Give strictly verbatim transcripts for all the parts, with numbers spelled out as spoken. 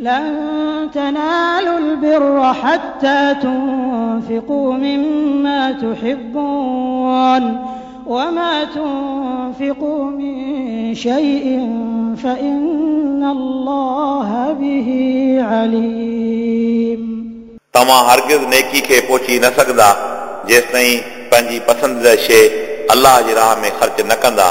لن تنالوا البر حتى تنفقوا مما تحبون وما تنفقوا من شيء فإن الله به عليم. तव्हां हरगिज़ नेकी खे पहुची न सघंदा जेसिताईं पंहिंजी पसंदीदा शइ अलाह जी राह में ख़र्च न कंदा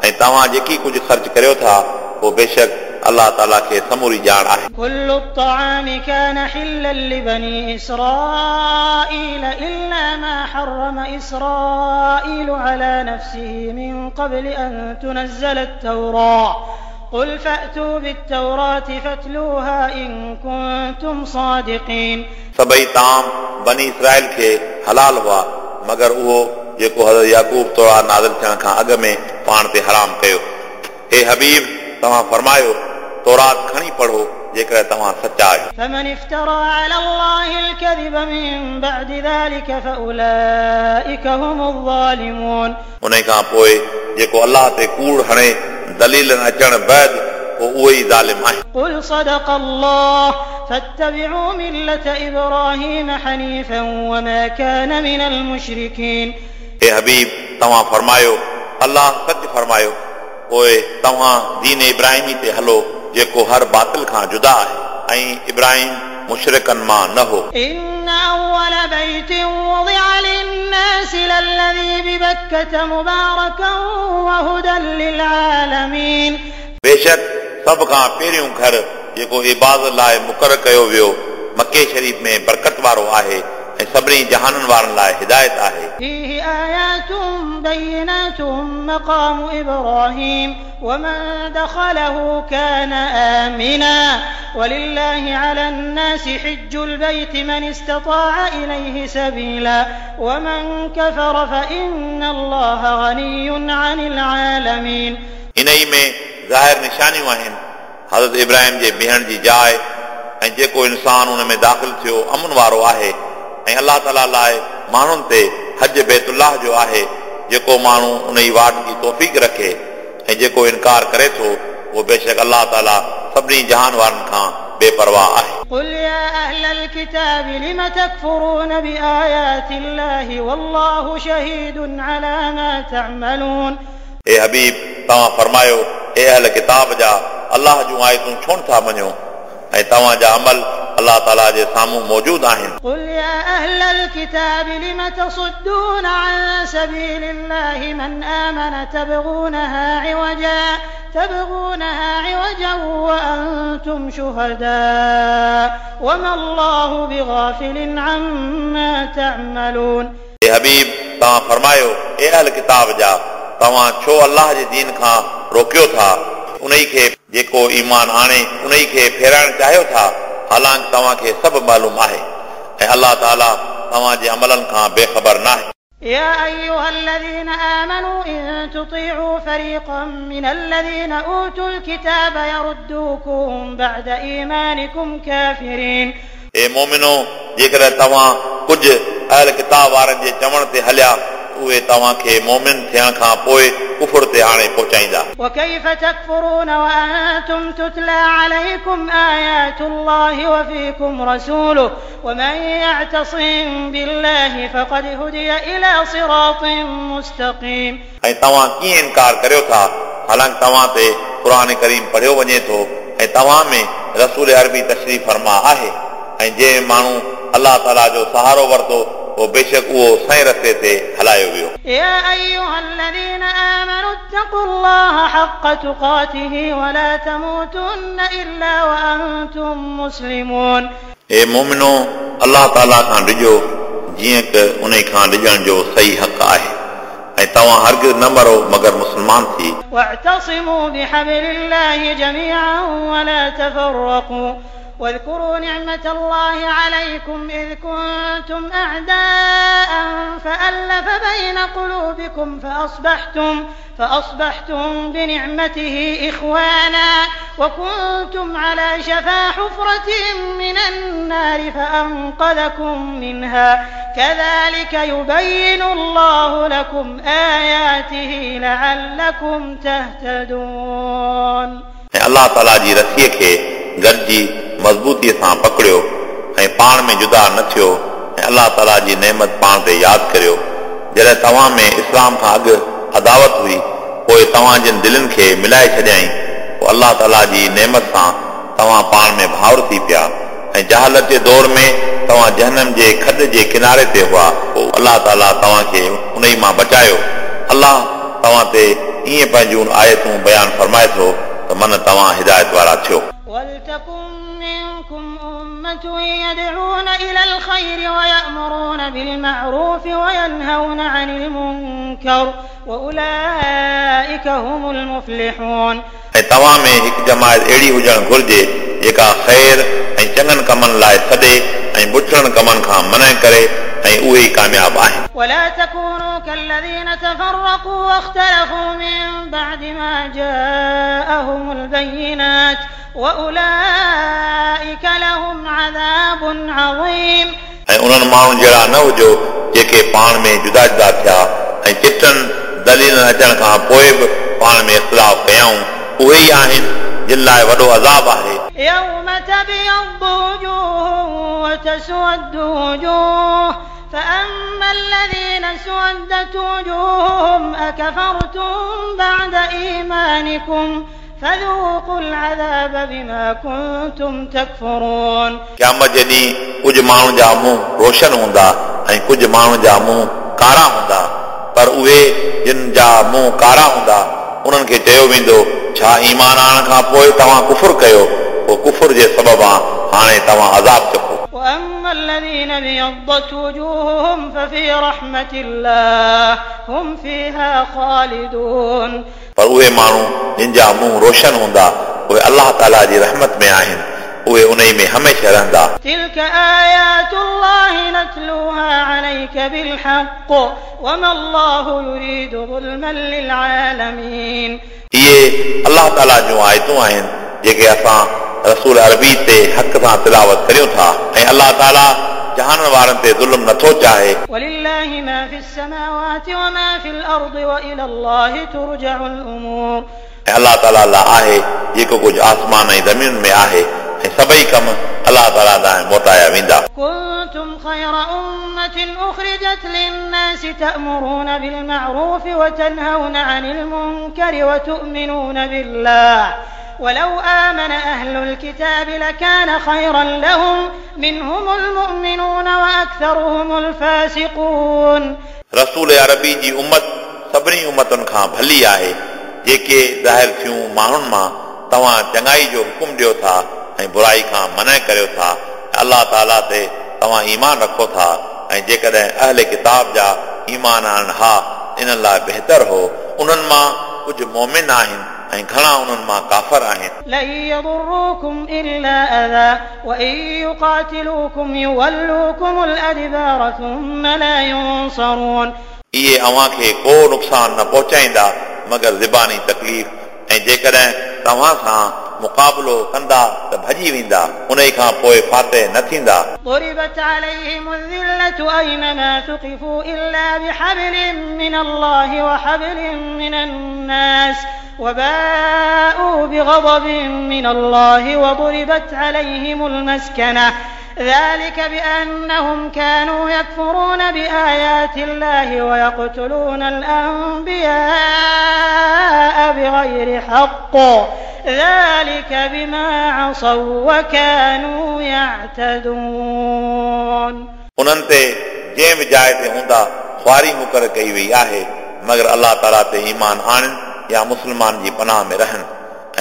ऐं तव्हां जेकी कुझु ख़र्च करियो था उहो बेशक अलाह ताला खे समूरी ॼाण आहे। كل الطعام كان حلا لبني إسرائيل إلا ما حرم إسرائيل على نفسه من قبل أن تنزل التوراة قل فأتوا بالتوراة فاتلوها إن كنتم صادقين. सभई ताम बनी इसराइल खे हलाल हुआ मगर उहो जेको हज़रत याकूब तौरात नाज़िल थियण खां अॻु में पाण ते हराम कयो। हे हबीब, तव्हां फरमायो तौरात खणी पढ़ो जेकॾहिं तव्हां सच्चा आहियो। فمن افترى على الله الكذب من بعد ذلك فأولئك هم الظالمون. उन खां पोइ जेको अलाह ते कूड़ हणे दलीलनि अचण बाद पोइ उहो ई ज़ालिम आहे। قل صدق الله فاتبعوا ملة إبراهيم حنيفا وما كان من المشركين. हे हबीब, तव्हां फरमायो अलाह सच फरमायो, पोइ तव्हां दीन इब्राहिमी ते हलो जेको हर बातिल खां जुदा आहे ऐं इब्राहिम मुशरिकनि मां न हो। إن أول بيت وضع للناس للذي ببكة مباركا وهدى للعالمين. बेशक सभ खां पहिरियों घर जेको इबादत लाइ मुक़ररु कयो वियो मक्के शरीफ़ में बरकत वारो आहे ऐं सभिनी जहाननि वारनि लाइ हिदायत आहे। فيه آيات بينات مقام إبراهيم ومن دخله كان آمنا ولله على الناس حج البيت من استطاع إليه سبيلا ومن كفر فإن الله غني عن العالمين. इन ई में ज़ाहिर निशानियूं आहिनि हज़रत इब्राहिम जे बीहण जी जाइ ऐं जेको इंसान उन में दाख़िल थियो अमन वारो आहे ऐं अलाह ताला लाइ माण्हुनि ते हज बैतुल्लाह जो आहे जेको माण्हू उन ई वाट जी तौफ़ीक़ रखे ऐं जेको इनकार करे थो उहो बेशक अलाह ताला सभिनी जहान वारनि खां बेपरवाह आहे। قل يا أهل الكتاب لم تكفرون بآيات الله والله شهيد على ما تعملون. ए हबीब, तव्हां फरमायो ए अहल किताब जा, अलाह जूं आयतूं छो नथा मञो ऐं तव्हां जा अमल अलाह ताला जे साम्हूं मौजूद आहिनि। قل يا أهل الكتاب لم تصدون عن سبيل الله من آمن تبغونها عوجا تبغونها عوجا وأنتم شهداء وما الله بغافل عما تعملون. ए हबीब, तव्हां फरमायो ए अहल किताब जा, तव्हां छो अलाह जे दीन खां रोकियो था उन खे जेको ईमान आणे उन खे फेराइण चाहियो था, हालांकि तव्हांखे सभु मालूम आहे ऐं अलाह ताला तव्हांजे अमलनि खां बेख़बर न आहे। يا أيها الذين آمنوا إن تطيعوا فريقا من الذين أوتوا الكتاب يردوكم بعد إيمانكم كافرين. ए मोमिनो, जेकॾहिं तव्हां कुझु अहल किताब वारनि जे चवण ते हलिया उहे तव्हांखे मोमिन थियण खां पोइ कुफुर ते आणे पहुचाईंदा। وكيف تكفرون وأنتم تتلى عليكم آيات الله وفيكم رسوله ومن يعتصم بالله فقد هدي إلى صراط مستقيم. ऐं तव्हां कीअं इनकार करियो था हालांकि तव्हां ते क़ुर करीम पढ़ियो वञे थो ऐं तव्हां में रसूल अरबी तशरीफ़ फरमा आहे ऐं जंहिं माण्हू अलाह ताला जो सहारो वरितो उहो बेशक उहो सही रस्ते ते हलायो वियो। يا أيها الذين آمنوا اتقوا الله حق تقاته ولا تموتن إلا وأنتم مسلمون. हे मोमिनो, अलाह ताला खां डिॼो जीअं त उन खां डिॼण जो सही हक़ आहे ऐं तव्हां हरगिज़ न मरो मगर मुस्लमान थी। واعتصموا بحبل الله جميعا ولا تفرقوا واذكروا نعمة الله عليكم إذ كنتم أعداء فألف بين قلوبكم فأصبحتم فأصبحتم بنعمته إخوانا وكنتم على شفا حفرة من النار فأنقذكم منها كذلك يبين الله لكم آياته لعلكم تهتدون. ऐं अलाह ताला जी रसीअ खे गॾिजी मज़बूतीअ सां पकड़ियो ऐं पाण में जुदा न थियो ऐं अलाह ताला जी नेमत पाण ते यादि करियो। जॾहिं तव्हां में इस्लाम खां अॻु अदावत हुई पोइ तव्हां जिन दिलनि खे मिलाए छॾियाईं पोइ अलाह ताला जी नेमत सां तव्हां पाण में भाउर थी पिया ऐं जहालत जे दौर में तव्हां जहनम जे खॾ जे किनारे ते हुआ पोइ अलाह ताला तव्हांखे उन ई मां बचायो। अलाह तव्हां ते ईअं पंहिंजूं आयतूं बयानु फरमाए थो त मन तव्हां हिदायत वारा थियो। ولتكن منكم أمة يدعون إلى الخير ويأمرون بالمعروف وينهون عن المنكر وأولئك هم المفلحون। ऐं तव्हां में हिकु जमायत अहिड़ी हुजणु घुरिजे जेका ख़ैर ऐं चङनि कमनि लाइ सॾे ऐं बुठड़नि कमनि खां मना करे ऐं उहे ई कामयाब आहिनि। ولا تكونوا كالذين تفرقوا واختلفوا من بعد ما جاءهم البينات وأولئك لهم عذاب عظيم। ऐं उन्हनि माण्हुनि जहिड़ा न हुजो जेके पाण में जुदा जुदा थिया ऐं चिटनि दलीलनि अचण खां पोइ बि पाण में इख़्तिलाफ़ कयाऊं, उहे ई आहिनि जिन लाइ वॾो अज़ाब आहे। يوم تبيض وجوه وتسود وجوه فأما الذين اسودت وجوههم أكفرتم بعد إيمانكم فذوقوا العذاب بما كنتم تكفرون। क़यामत जे ॾींहुं कुझु माण्हुनि जा मुंहुं रोशन हूंदा ऐं कुझु माण्हुनि जा मुंहुं कारा हूंदा, पर उहे जिन जा मुंहुं कारा हूंदा उन्हनि खे चयो वेंदो छा ईमान आणण खां पोइ तव्हां कुफुर कयो, पोइ कुफुर जे सबब हाणे तव्हां अज़ाब चखो। وأما الذين ابيضت وجوههم ففي رحمة الله هم فيها خالدون। पर उहे माण्हू जिन जा मुंहुं रोशन हूंदा उहे अलाह ताला जी रहमत में आहिनि, उहे उन में हमेशह रहंदा। تلك آيات الله نتلوها عليك بالحق وما الله يريد ظلما للعالمين। इहे अलाह ताला जूं आयतूं आहिनि जेके असां रसूल अरबी ते हक़ सां तिलावत करियूं था ऐं अलाह ताला जहाननि वारनि ते ज़ुल्म नथो चाहे। ولله ما في السماوات وما في الأرض وإلى الله ترجع الأمور। ऐं अलाह ताला लाइ आहे जेको कुझु आसमान ऐं ज़मीन में आहे ऐं सभई कम अलाह ताला ॾांहुं मोटाया वेंदा। كنتم خير أمة أخرجت للناس تأمرون بالمعروف وتنهون عن المنكر وتؤمنون بالله ولو آمن أهل الكتاب لكان خيرا لهم منهم المؤمنون وأكثرهم الفاسقون। रसूल अरबी जी उम्मत सभिनी उम्मतुनि खां भली आहे जेके ज़ाहिर थियूं माण्हुनि मां तव्हां चङाई जो हुकुम ॾियो था ऐं बुराई खां मना करियो था, अलाह ताला ते तव्हां ईमान रखो था ऐं जेकॾहिं अहले किताब जा ईमान आणनि हा इन्हनि लाइ बहितर हो। उन्हनि मां कुझु मोमिन आहिनि ऐं घणा उन्हनि मां काफ़र आहिनि। لن يضروكم إلا أذى وإن يقاتلوكم يولوكم الأدبار ثم لا ينصرون। इहे अव्हां खे को नुक़सानु न पहुचाईंदा मगर ज़बानी तकलीफ़ ऐं जेकॾहिं तव्हां सां मुक़ाबिलो कंदा त भॼी वेंदा, उन खां पोइ फ़ातिह न थींदा। ضربت عليهم الذلة أينما ثقفوا إلا بحبل من الله وحبل من الناس وباءوا بغضب من الله وضربت عليهم المسكنة ذلك بأنهم كانوا يكفرون بآيات الله ويقتلون الأنبياء بغير حق ذلك بما عصوا وكانوا يعتدون। उन्हनि ते जंहिं बि जाइ ते हूंदा ख़्वारी मुक़ररु कई वई आहे मगर अलाह ताला ते ईमान आणनि या मुस्लमान जी पनाह में रहनि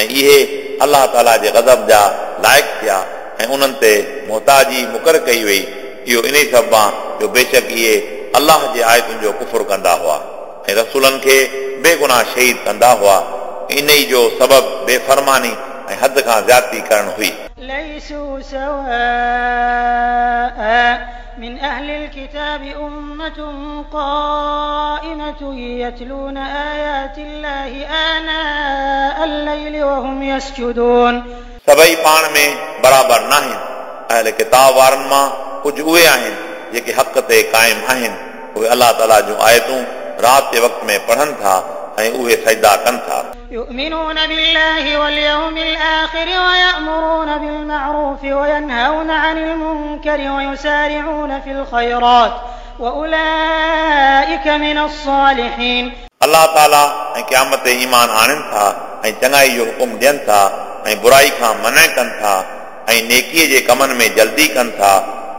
ऐं इहे अलाह ताला जे ग़ज़ब जा लाइक़ थिया ऐं उन्हनि ते मोहताजी मुक़ररु कई वई। इहो इन सबबु जो बेशक इहे अलाह जे आयतुनि जो कुफुर कंदा हुआ ऐं रसूलनि खे बेगुनाह शहीद कंदा हुआ। इन ई जो सबबु बेफरमानी ऐं हद खां ज़्यादती करणु हुई। ليسوا سواء من أهل الكتاب أمة قائمة يتلون آيات الله آناء الليل وهم يسجدون। सभई पाण में बराबरि न आहिनि। अहल किताब वारनि मां कुझु उहे आहिनि जेके हक़ ते क़ाइम आहिनि, उहे अलाह ताला जूं आयतूं राति जे वक़्त में पढ़नि था ऐं उहे सजदा कनि था। يؤمنون بالله واليوم الآخر ويأمرون بالمعروف وينهون عن المنكر ويسارعون في الخيرات وأولئك من الصالحين। अलाह ताला ऐं क़यामत ते ईमान आणनि था ऐं चङाई जो हुकुम ॾियनि था ऐं बुराई खां मना कनि था ऐं नेकीअ जे कमनि में जल्दी कनि था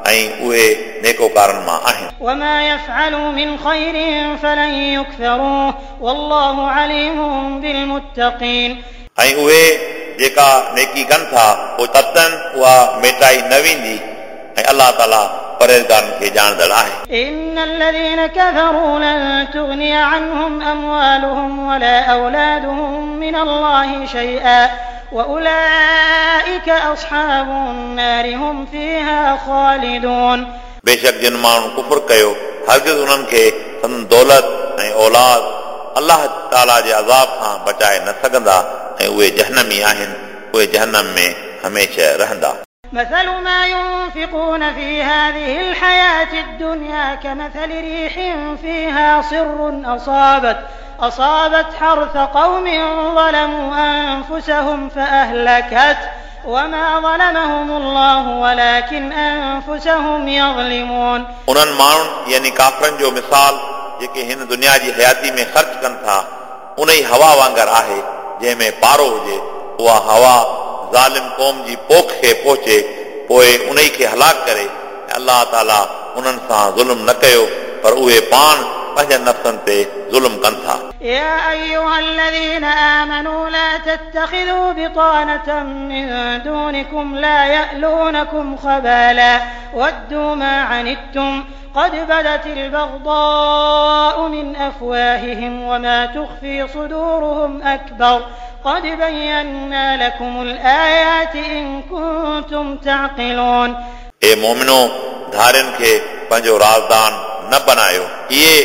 ऐं उहे नेकोकारनि मां आहिनि। وما يفعلوا من خير فلن يكفروه والله عليم بالمتقين। ऐं उहे जेका नेकी कनि था पोइ ततन उहा मेटाई न वेंदी ऐं अलाह ताला परहेज़गारनि खे ॼाणंदड़ आहे। إن الذين كفروا لن تغني عنهم أموالهم ولا أولادهم من الله شيئا وأولئك أصحاب النار هم فيها خالدون। बेशक जिन माण्हुनि कुफुर कयो हरगिज़ उन्हनि खे संदन दौलत ऐं औलाद अलाह ताला जे अज़ाब खां बचाए न सघंदा ऐं उहे जहनमी आहिनि, उहे जहनम में हमेशह रहंदा। مثل ما ينفقون في هذه الحياة الدنيا كمثل ريح فيها صر أصابت أصابت حرث قوم ظلموا أنفسهم فأهلكت وما ظلمهم الله ولكن أنفسهم يظلمون। उन्हनि माण्हुनि यानी काफ़रनि जो मिसाल जेके हिन दुनिया जी हयाती में ख़र्च कनि था उन ई हवा वांगुरु आहे जंहिं में पारो हुजे, उहा हवा ज़ालिम क़ौम जी पोख खे पहुचे पोइ उन खे हलाक करे। अलाह ताला उन्हनि सां ज़ुल्म न कयो पर उहे पाण पंहिंजनि नफ़्सनि ते ज़ुल्म कनि था। يا أيها الذين آمنوا لا تتخذوا بطانة من دونكم لا يألونكم خبالا ودوا ما عنتم قد بدت البغضاء من أفواههم وما تخفي صدورهم أكبر قد بينا لكم الآيات إن كنتم تعقلون। ए मोमिनो, धारियुनि खे पंहिंजो राज़दान न बनायो, इहे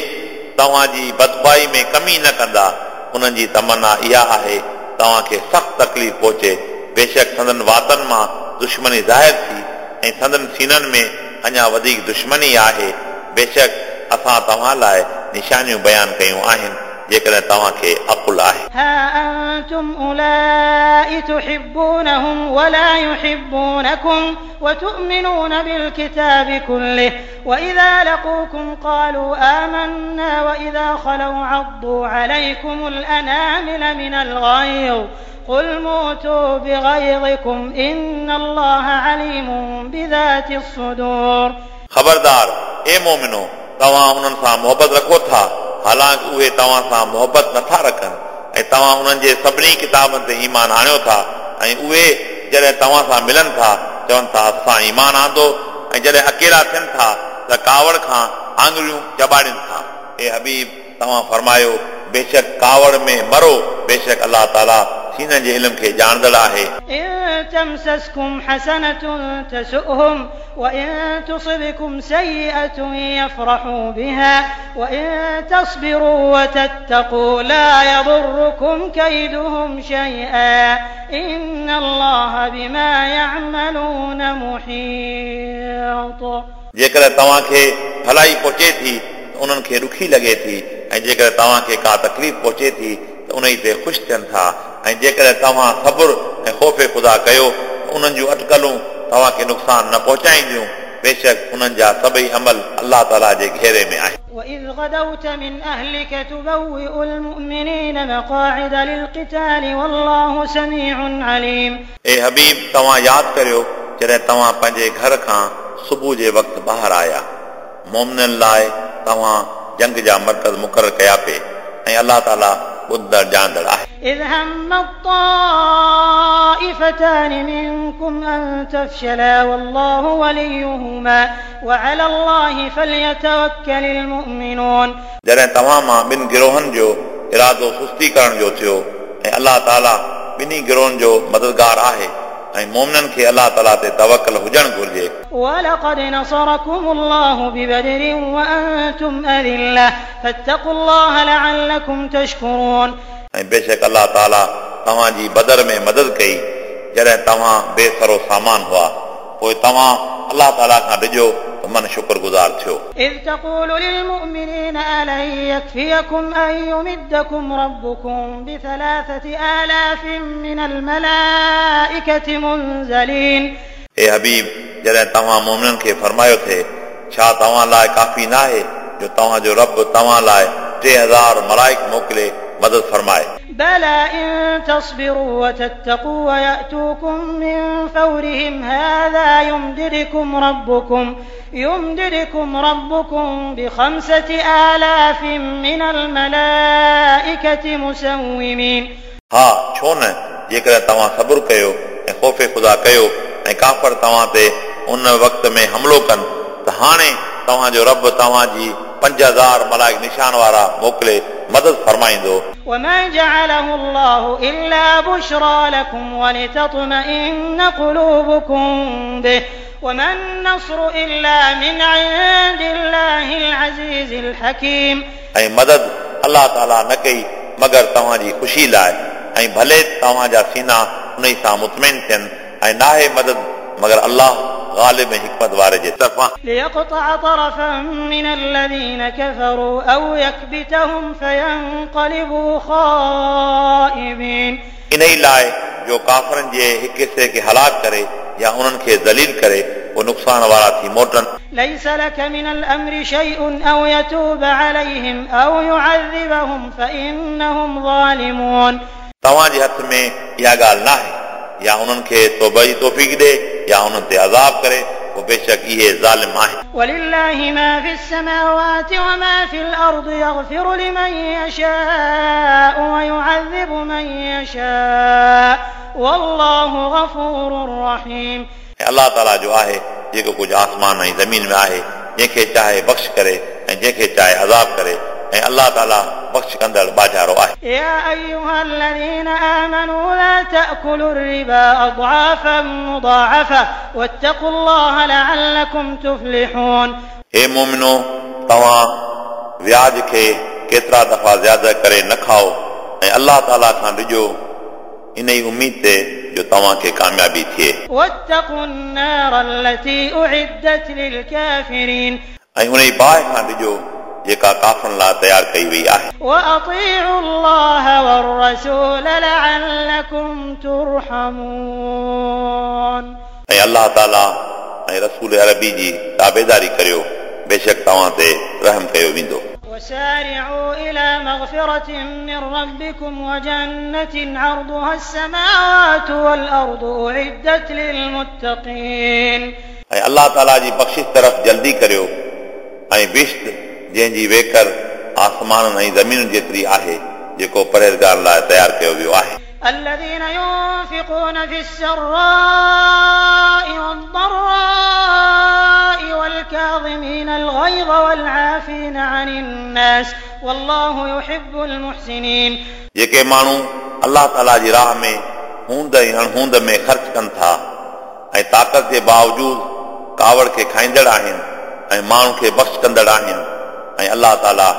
तव्हांजी बदबाई में कमी न कंदा। उन्हनि जी तमन्ना इहा आहे तव्हांखे सख़्तु तकलीफ़ पहुचे। बेशक संदन वातनि मां दुश्मनी ज़ाहिर थी ऐं संदन सीननि में अञा वधीक दुश्मनी आहे। बेशक असां तव्हां लाइ निशानियूं बयानु कयूं आहिनि जेकॾहिं तव्हांखे अकुल आहे। ها أنتم أولئك تحبونهم ولا يحبونكم وتؤمنون بالكتاب كله وإذا لقوكم قالوا آمنا وإذا خلوا عضوا عليكم الأنامل من الغيظ قل موتوا بغيظكم إن الله عليم بذات الصدور। ख़बरदार ए मोमिनो, तव्हां उन्हनि सां मोहबत रखो था हालांकि उहे तव्हां सां मोहबत नथा रखनि ऐं तव्हां उन्हनि जे सभिनी किताबनि ते ईमान आणियो था ऐं उहे जॾहिं तव्हां सां मिलनि था चवनि था असां ईमान आंदो ऐं जॾहिं अकेला थियनि था त कावड़ खां आङुरियूं चबाड़नि था। ए हबीब, तव्हां फरमायो बेशक कावड़ में मरो, बेशक अलाह ताला सीननि जे इल्म खे ॼाणंदड़ आहे। إن تمسسكم حسنة تسؤهم وإن تصبكم سيئة يفرحوا بها وإن تصبروا وتتقوا لا يضركم كيدهم شيئا إن الله بما يعملون محيط। जेकॾहिं तव्हांखे भलाई पहुचे थी त उन्हनि खे ॾुखी लॻे थी ऐं जेकॾहिं तव्हांखे का तकलीफ़ पहुचे थी त उन ते ख़ुशि थियनि था ऐं जेकॾहिं तव्हां सब्र ऐं ख़ौफ़ ख़ुदा कयो त उन्हनि जूं अटकलूं तव्हांखे नुक़सानु न पहुचाईंदियूं। बेशक उन्हनि जा सभई अमल अलाह ताला जे घेरे में आहिनि। وإذ غدوت من أهلك تبوئ المؤمنين مقاعد للقتال والله سميع عليم। ए हबीब, तव्हां यादि करियो जॾहिं तव्हां पंहिंजे घर खां सुबुह जे वक़्तु ॿाहिरि आया, मोमिननि लाइ तव्हां जंग जा मर्कज़ मुक़ररु कया पे ऐं अलाह ताला ॿुधंदड़ ॼाणंदड़ आहे। إذ هم الطائفتان منكم أن تفشلا والله وليهما وعلى الله فليتوكل المؤمنون। जॾहिं तव्हां मां ॿिनि गिरोहनि जो इरादो सुस्ती करण जो थियो ऐं अलाह ताला ॿिन्ही गिरोहनि जो मददगार आहे ऐं मोमिननि खे अलाह ताला ते तवकल हुजणु घुर्जे। ولقد نصركم الله ببدر وأنتم أذلة فاتقوا الله لعلكم تشكرون। ऐं बेशक अलाह ताला तव्हांजी बदर में मदद कई जॾहिं तव्हां बेसरो सामान हुआ, पोइ तव्हां अलाह ताला खां डिॼो त त मन शुक्रगुज़ार थियो। إذ تقول للمؤمنين ألن يكفيكم أن يمدكم ربكم بثلاثة آلاف من الملائكة منزلين। ए हबीब, जॾहिं तव्हां मोमिननि खे फरमायो थे, छा तव्हां लाइ काफ़ी न आहे जो तव्हांजो रब तव्हां लाइ टे हज़ार मलाइक मोकिले मदद फरमाए? بلى إن تصبروا وتتقوا ويأتوكم من فورهم هذا يمددكم ربكم يمددكم ربكم بخمسة آلاف من الملائكة مسومين। हा, छो न जेकॾहिं तव्हां सब्र कयो ऐं ख़ौफ़ ख़ुदा कयो ऐं काफ़र तव्हां ते उन वक़्त में हमिलो कनि त हाणे तव्हांजो रब तव्हांजी पंज हज़ार मलाइक निशान वारा मोकिले मदद फरमाईंदो। وما جعله الله إلا بشرى لكم ولتطمئن قلوبكم به وما النصر إلا من عند الله العزيز الحكيم। ऐं मदद अलाह ताला न कई मगर तव्हांजी ख़ुशी लाइ ऐं भले तव्हांजा सीना उन सां मुतमिन थियनि ऐं नाहे मदद मगर अलाह ग़ालिब ऐं हिकमत वारे जे तरफ़ां। ليقطع طرفا من الذين كفروا أو يكبتهم فينقلبوا خائبين। इन ई लाइ जो काफ़रनि जे हिकु हिसे खे हलाक करे या उन्हनि खे ज़लील करे पोइ नुक़सान वारा थी मोटनि। ليس لك من الأمر شيء أو يتوب عليهم أو يعذبهم فإنهم ظالمون। तव्हांजे हथ में इहा ॻाल्हि न आहे या उन्हनि खे तौबा जी तौफ़ीक़ ॾे या उन्हनि ते अज़ाब करे, पोइ बेशक इहे ज़ालिम आहिनि। ولله ما في السماوات وما في الأرض يغفر لمن يشاء ويعذب من يشاء والله غفور رحيم। ऐं अलाह ताला जो आहे जेको कुझु आसमान ऐं ज़मीन में आहे, जंहिंखे चाहे बख़्श करे ऐं जंहिंखे चाहे अज़ाब करे, ऐं अलाह ताला बख़्श कंदड़ बाजारो आहे। يا أيها الذين آمنوا لا تأكلوا الربا أضعافا مضاعفة واتقوا الله لعلكم تفلحون। हे मोमिनो, तव्हां व्याज खे केतिरा दफ़ा ज़्यादा करे न खाओ ऐं अलाह ताला खां ॾिजो, इन ई उमेद ते जो तव्हांखे कामयाबी थिए। واتقوا النار التي أعدت للكافرين। ऐं उन ई बाहि खां ॾिजो जेका काफ़रनि लाइ तयारु कई वई आहे। وأطيعوا الله والرسول لعلكم ترحمون। ऐं अलाह ताला ऐं रसूल अरबी जी ताबेदारी करियो, बेशक तव्हां ते रहम कयो वेंदो। وسارعوا إلى مغفرة من ربكم وجنة عرضها السماوات والأرض أعدت للمتقين। ऐं अलाह ताला जी बख़्शिश तरफ़ जल्दी करियो ऐं बिश्त जंहिंजी वेकर आसमाननि ऐं ज़मीन जेतिरी आहे, जेको परहेज़गार लाइ तयारु कयो वियो आहे। الذين ينفقون في السراء والضراء والكاظمين الغيظ والعافين عن الناس والله يحب المحسنين। जेके माण्हू अलाह ताला जी राह में हूंद ऐं अणहूंद में ख़र्च कनि था ऐं ताक़त जे बावजूद कावड़ खे खाईंदड़ आहिनि ऐं माण्हुनि खे बख़्श कंदड़ आहिनि, ऐं अलाह ताला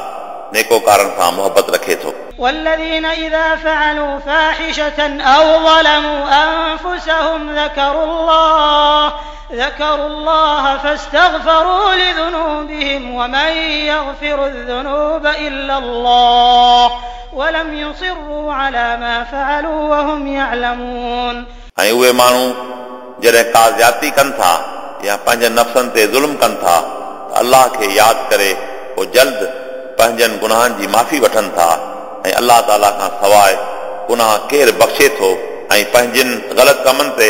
नेकोकारनि सां मोहबत रखे थो। والذين إذا فعلوا فاحشة أو ظلموا أنفسهم ذكروا الله ذكروا الله فاستغفروا لذنوبهم ومن يغفر الذنوب إلا الله ولم يصروا على ما فعلوا وهم يعلمون। ऐं उहे माण्हू जॾहिं का ज़्यादती कनि था या पंहिंजनि नफ़्सनि ते ज़ुल्म कनि था त अलाह खे यादि करे पोइ जल्द पंहिंजनि गुनाहनि जी माफ़ी वठनि था, ऐं अलाह ताला खां सवाइ गुनाह केरु बख़्शे थो, ऐं पंहिंजनि ग़लति कमनि ते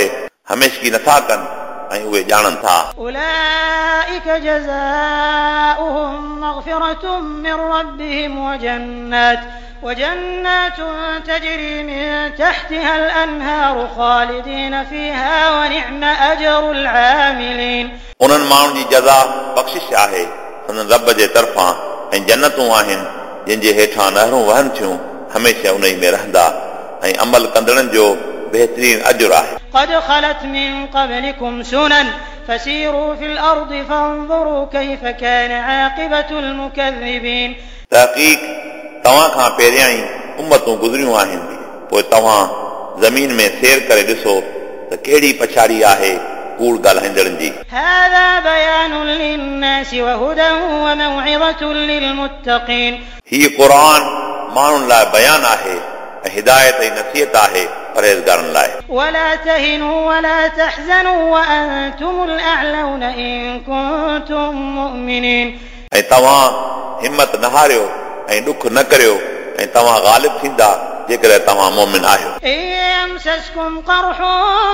हमेशगी नथा कनि ऐं उहे ॼाणनि था। أولئك جزاؤهم مغفرة من ربهم وجنات وجنات تجري من تحتها الأنهار خالدين فيها ونعم أجر العاملين। उन्हनि माण्हुनि जी जज़ा बख़्शिश आहे संदन रब जे तरफ़ां ऐं जन्नतूं आहिनि जिन जे हेठां नहरूं वहनि थियूं, हमेशह उन में रहंदा, ऐं अमल कंदड़नि जो बहितरीन अजुर आहे। قد خلت من قبلكم سنن فسيروا في الأرض فانظروا كيف كان عاقبة المكذبين। तहक़ीक़ तव्हां खां पहिरियां ई उम्मतूं गुज़रियूं आहिनि, पोइ तव्हां ज़मीन में सैर करे ॾिसो त कहिड़ी पछाड़ी आहे कूड़ ॻाल्हाईंदड़नि जी। هذا بيان للناس وهدى وموعظة للمتقين। हीउ क़ुर माण्हुनि लाइ बयान आहे ऐं हिदायत ऐं नसीहत आहे परहेज़गारनि लाइ। ولا تهنوا ولا تحزنوا وأنتم الأعلون إن كنتم مؤمنين। ऐं तव्हां हिमत न हारियो ऐं ॾुख न करियो ऐं तव्हां ग़ालिब थींदा जेकॾहिं तव्हां मोमिन आहियो। إن يمسسكم قرح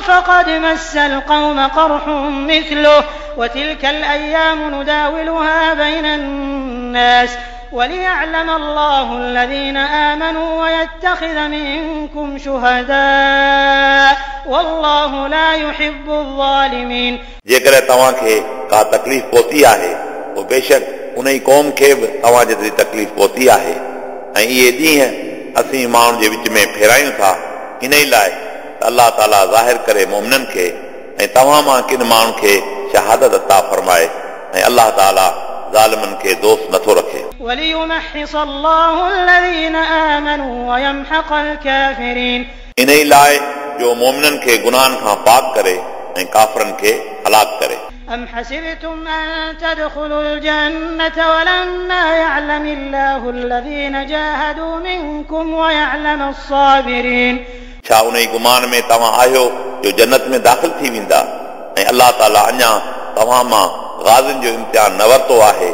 فقد مس القوم قرح مثله وتلك الأيام نداولها بين الناس وليعلم الله الذين آمنوا ويتخذ منكم شهداء والله لا يحب الظالمين। जेकॾहिं तव्हांखे का तकलीफ़ पहुती आहे पोइ बेशक उन ई क़ौम खे बि तव्हां जेतिरी तकलीफ़ पहुती आहे ऐं इहे ॾींहं असीं माण्हुनि जे विच में फेरायूं था इन ई लाइ त अलाह ताला ज़ाहिर करे मोमिननि खे ऐं तव्हां मां किन माण्हुनि खे शहादत अता फरमाए ऐं अलाह ताला ज़ालिमनि खे दोस्त नथो रखे। وليمحص الله الذين آمنوا ويمحق الكافرين। इन ई लाइ जो मोमिननि खे गुनाहनि खां पाक करे ऐं काफ़रनि खे हलाक करे। أم حسبتم أن تدخلوا الجنة ولما يعلم الله الذين جاهدوا منكم ويعلم الصابرين। छा उन ई गुमान में तव्हां आहियो जो जन्नत में दाख़िल थी वेंदा ऐं अलाह ताला अञा तव्हां मां ग़ाज़ियुनि जो इम्तिहान न वरितो आहे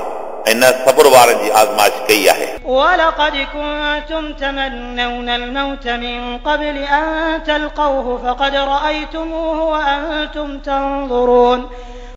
ऐं न सब्र वारनि जी आज़माइश कई आहे। ولقد كنتم تمنون الموت من قبل أن تلقوه فقد رأيتموه وأنتم تنظرون।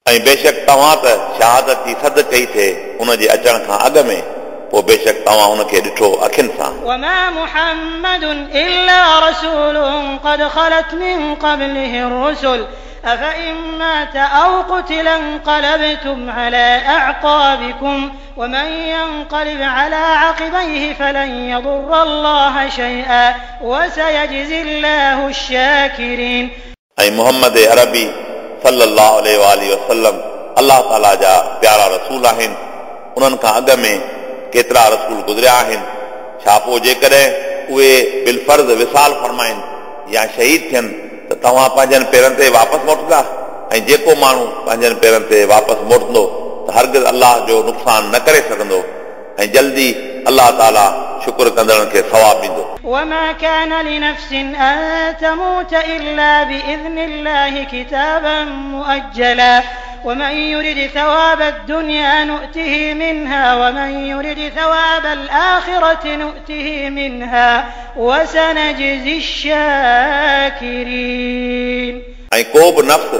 ऐं बेशक तव्हां त शहादत जी सद कई थिए उनजे अचण खां अॻु में पोइ बेशक तव्हां उनखे ॾिठो अखियुनि सां। وما محمد إلا رسول قد خلت من قبله الرسل أفإن مات أو قتل انقلبتم على أعقابكم ومن ينقلب على عقبيه فلن يضر الله شيئا وسيجزي الله الشاكرين। ऐं मोहम्मद अरबी सल्लल्लाहु अलैहि वालि वसल्लम अलाह ताला जा प्यारा रसूल आहिनि। उन्हनि खां अॻु में केतिरा रसूल गुज़रिया आहिनि। छा पोइ जेकॾहिं उहे बिलफर्ज़ विसाल फरमाइनि या शहीद थियनि त तव्हां पंहिंजनि पेरनि ते वापसि मोटंदा ऐं जेको माण्हू पंहिंजनि पेरनि ते वापसि मोटंदो त हरगिज़ अलाह जो नुक़सानु न करे सघंदो ऐं जल्दी अलाह ताला शुक्र कंदड़नि खे सवाब ॾींदो। وما كان لنفس أن تموت إلا بإذن الله كتابا مؤجلا ومن يرد ثواب الدنيا نؤته منها ومن يرد ثواب الآخرة نؤته منها وسنجزي الشاكرين। ऐं को बि नफ्स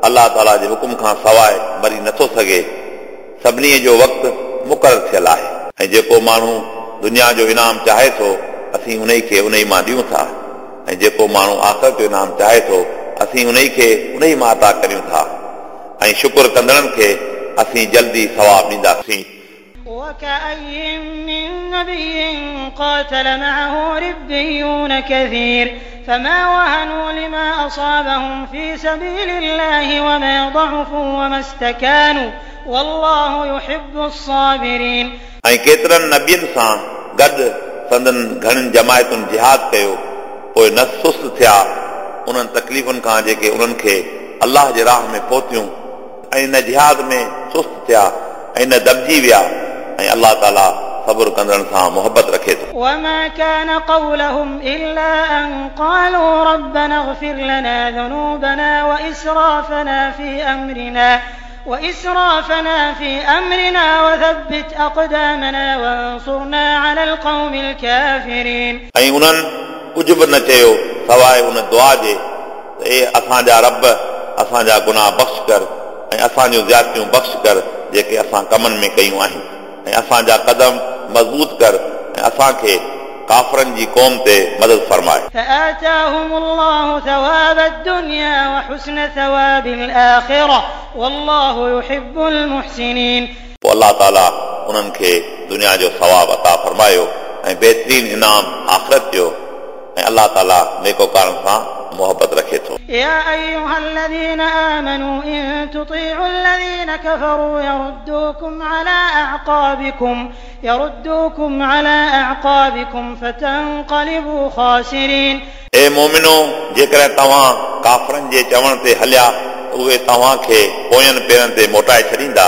अलाह ताला जे हुकुम खां सवाइ मरी नथो सघे। सभिनी जो वक़्तु मुक़ररु थियल आहे ऐं जेको माण्हू दुनिया जो इनाम चाहे थो असीं उन खे उन मां ॾियूं था ऐं जेको माण्हू आख़िरत जो इनाम चाहे थो असीं उन खे उन मां अता करियूं था ऐं शुक्र कंदड़नि खे असीं जल्दी सवाब ॾींदासीं। وكأي من نبي قاتل معه ربيون كثير فما وهنوا لما أصابهم في سبيل الله وما ضعفوا وما استكانوا والله يحب الصابرين। ऐं केतिरनि नबियुनि सां गॾु संदन घणनि जमायतुनि जिहाद कयो पोइ न सुस्त थिया उन्हनि तकलीफ़ुनि खां जेके उन्हनि खे अलाह जे राह में पहुतियूं ऐं न जिहाद में सुस्त थिया ऐं न दबिजी विया ऐं अलाह ताला सब्र कंदड़नि सां मोहबत रखे थो। وما كان قولهم إلا أن قالوا ربنا اغفر لنا ذنوبنا وإسرافنا في أمرنا وإسرافنا في أمرنا وثبت أقدامنا وانصرنا على القوم الكافرين। ऐं उन्हनि कुझु बि न चयो सवाइ उन दुआ जे त ए असांजा रब असांजा गुनाह बख़्श कर ऐं असांजूं ज़्यादतियूं बख़्श कर जेके असां कमनि में कयूं आहिनि ऐं असांजा कदम मज़बूत कर ऐं असांखे काफ़रनि जी क़ौम ते मदद फरमाए। فآتاهم الله ثواب الدنيا وحسن ثواب الآخرة والله يحب المحسنين। पोइ अलाह ताला उन्हनि खे दुनिया जो सवाब अता फरमायो ऐं बहितरीन इनाम आख़िरत जो ऐं अलाह ताला नेकोकारनि सां मोहबत रखे थो। يا أيها الذين آمنوا إن تطيعوا الذين كفروا يردوكم على أعقابكم يردوكم على أعقابكم فتنقلبوا خاسرين. ए मोमिनो, जेकॾहिं तव्हां काफ़रनि जे चवण ते हलिया त उहे तव्हांखे पोयनि पेरनि ते मोटाए छॾींदा,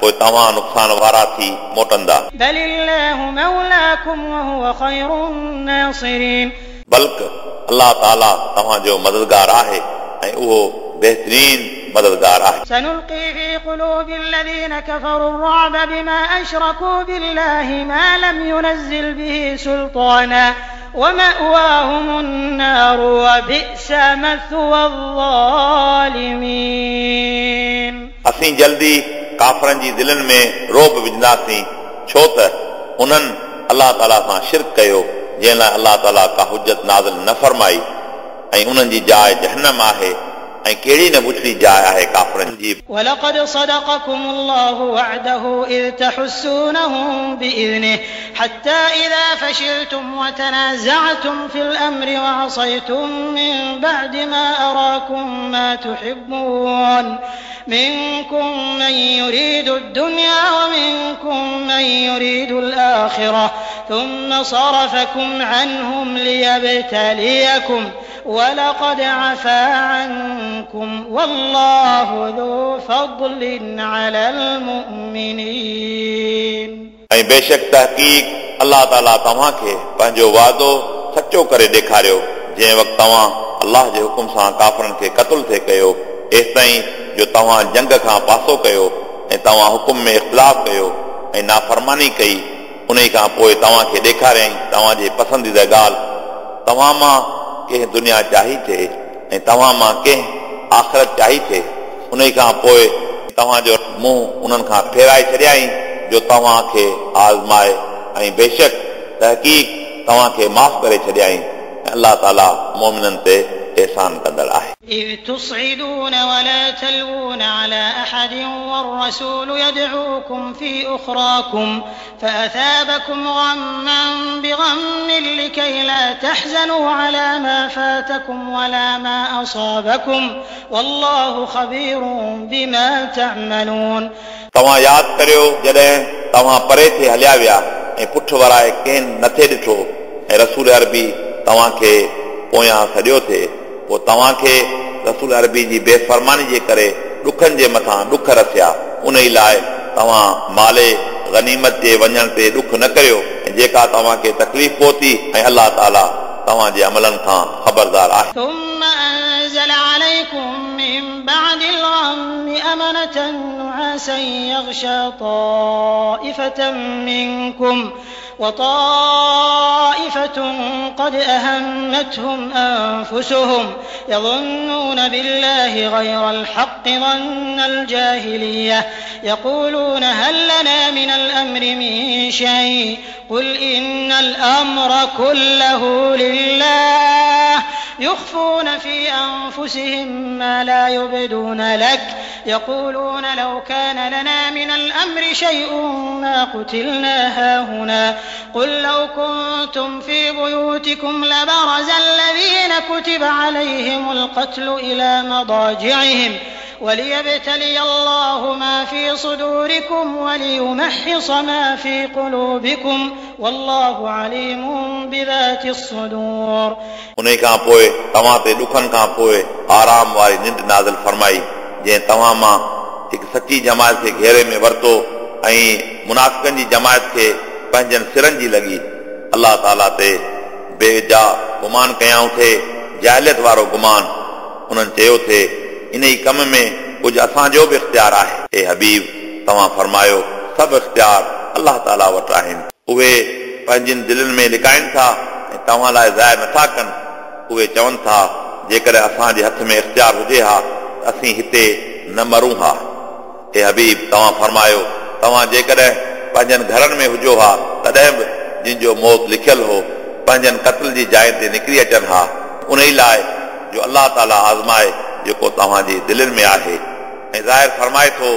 पोइ तव्हां नुक़सान वारा थी मोटंदा। بل الله مولاكم وهو خير الناصرين। बल्कि अलाह ताला तव्हांजो मददगार आहे ऐं उहो बेहतरीन मददगार आहे। سنلقي في قلوب الذين كفروا الرعب بما أشركوا بالله ما لم ينزل به سلطانا ومأواهم النار وبئس مثوى الظالمين। असीं जल्दी काफ़रनि जी दिलनि में रोब विझंदासीं, छो त उन्हनि अलाह ताला सां शिरक कयो जंहिं लाइ अलाह ताला का हुजत नाज़िल न फरमाई, ऐं उन्हनि जी जाइ जहन्नम आहे, ऐं कहिड़ी न बुछड़ी जाइ आहे काफ़रनि जी। ولقد صدقكم الله وعده إذ تحسونهم بإذنه حتى إذا فشلتم وتنازعتم في الأمر وعصيتم من بعد ما أراكم ما تحبون منكم من يريد الدنيا ومنكم من يريد الآخرة ثم صرفكم عنهم ليبتليكم ولقد عفا عنكم والله ذو فضل على المؤمنين। ऐं बेशक तहक़ीक़ अलाह ताला तव्हांखे पंहिंजो वाइदो सचो करे ॾेखारियो, जंहिं वक़्तु तव्हां अलाह जे हुकुम सां काफ़रनि खे क़तल थे कयो, एसिताईं जो तव्हां जंग खां पासो कयो ऐं तव्हां हुकुम में इख़्तिलाफ़ कयो ऐं नाफ़रमानी कई, उन खां पोइ तव्हांखे ॾेखारियईं तव्हांजी पसंदीदा ॻाल्हि। तव्हां मां कंहिं दुनिया चाही थिए ऐं तव्हां मां कंहिं आख़िरत चाही थिए, उन खां पोइ तव्हांजो मुंहुं उन्हनि खां फेराए छॾियाईं जो तव्हांखे आज़माए, ऐं बेशक तहक़ीक़ तव्हांखे माफ़ करे छॾियाईं। अलाह ताला मोमिननि ते एहसान कंदड़ आहे। إذ تصعدون ولا تلوون على أحد والرسول يدعوكم في أخراكم فأثابكم غما بغم لكي لا تحزنوا على ما فاتكم ولا ما أصابكم والله خبير بما تعملون। तव्हां यादि करियो जॾहिं तव्हां परे थे हलिया विया ऐं पुठ वराए कंहिं नथे ॾिठो, ऐं रसूल अरबी तव्हांखे पोयां सॾियो थे, पोइ तव्हांखे रसूल अरबी जी बेफरमानी जे करे ॾुखनि जे मथां ॾुख रसिया, उन ई लाइ तव्हां माले गनीमत जे वञण ते ॾुख न करियो, ऐं जेका तव्हांखे तकलीफ़ पहुती, ऐं अलाह ताला तव्हांजे अमलनि खां ख़बरदार आहे। ثم أنزل عليكم من بعد الغم أمنة نعاسا يغشى طائفة منكم وطائفة قد أهمتهم أنفسهم يظنون بالله غير الحق ظن الجاهلية يقولون هل لنا من الأمر من شيء قل إن الأمر كله لله يخفون في أنفسهم ما لا يبدون لك يقولون لو كان لنا من الأمر شيء ما قتلنا هاهنا قل لو كنتم في بيوتكم لبرز الذين كتب عليهم القتل إلى مضاجعهم وليبتلي الله ما في صدوركم وليمحص ما في قلوبكم والله عليم بذات الصدور। उन खां पोइ तव्हां ते ॾुखनि खां पोइ आराम वारी निंड नाज़िल फरमाई, जंहिं तव्हां मां हिकु सची जमायत खे घेरे में वरितो ऐं मुनाफ़िकनि जी जमायत खे पंहिंजनि सिरनि जी लॻी। अलाह ताला ते बेजा गुमान कयाऊं थे, जाहिलियत वारो गुमान। उन्हनि चयो थे इन ई कम में कुझु असांजो बि इख़्तियार आहे। ए हबीब, तव्हां फरमायो सभु इख़्तियार अलाह ताला वटि आहिनि, उहे पंहिंजनि दिलनि में लिकाइनि था ऐं तव्हां लाइ ज़ाहिर नथा कनि। उहे चवनि था जेकॾहिं असांजे हथ में इख़्तियार हुजे हा त असीं हिते न मरूं हा। ए हबीब, तव्हां फरमायो तव्हां जेकॾहिं पंहिंजनि घरनि में हुजो हा तॾहिं बि जिन जो मौत लिखियल हो पंहिंजनि क़तल जी जाइ ते निकिरी अचनि हा, उन ई लाइ जो अलाह ताला आज़माए जेको तव्हांजी दिलनि में आहे, ऐं ज़ाहिर फरमाए थो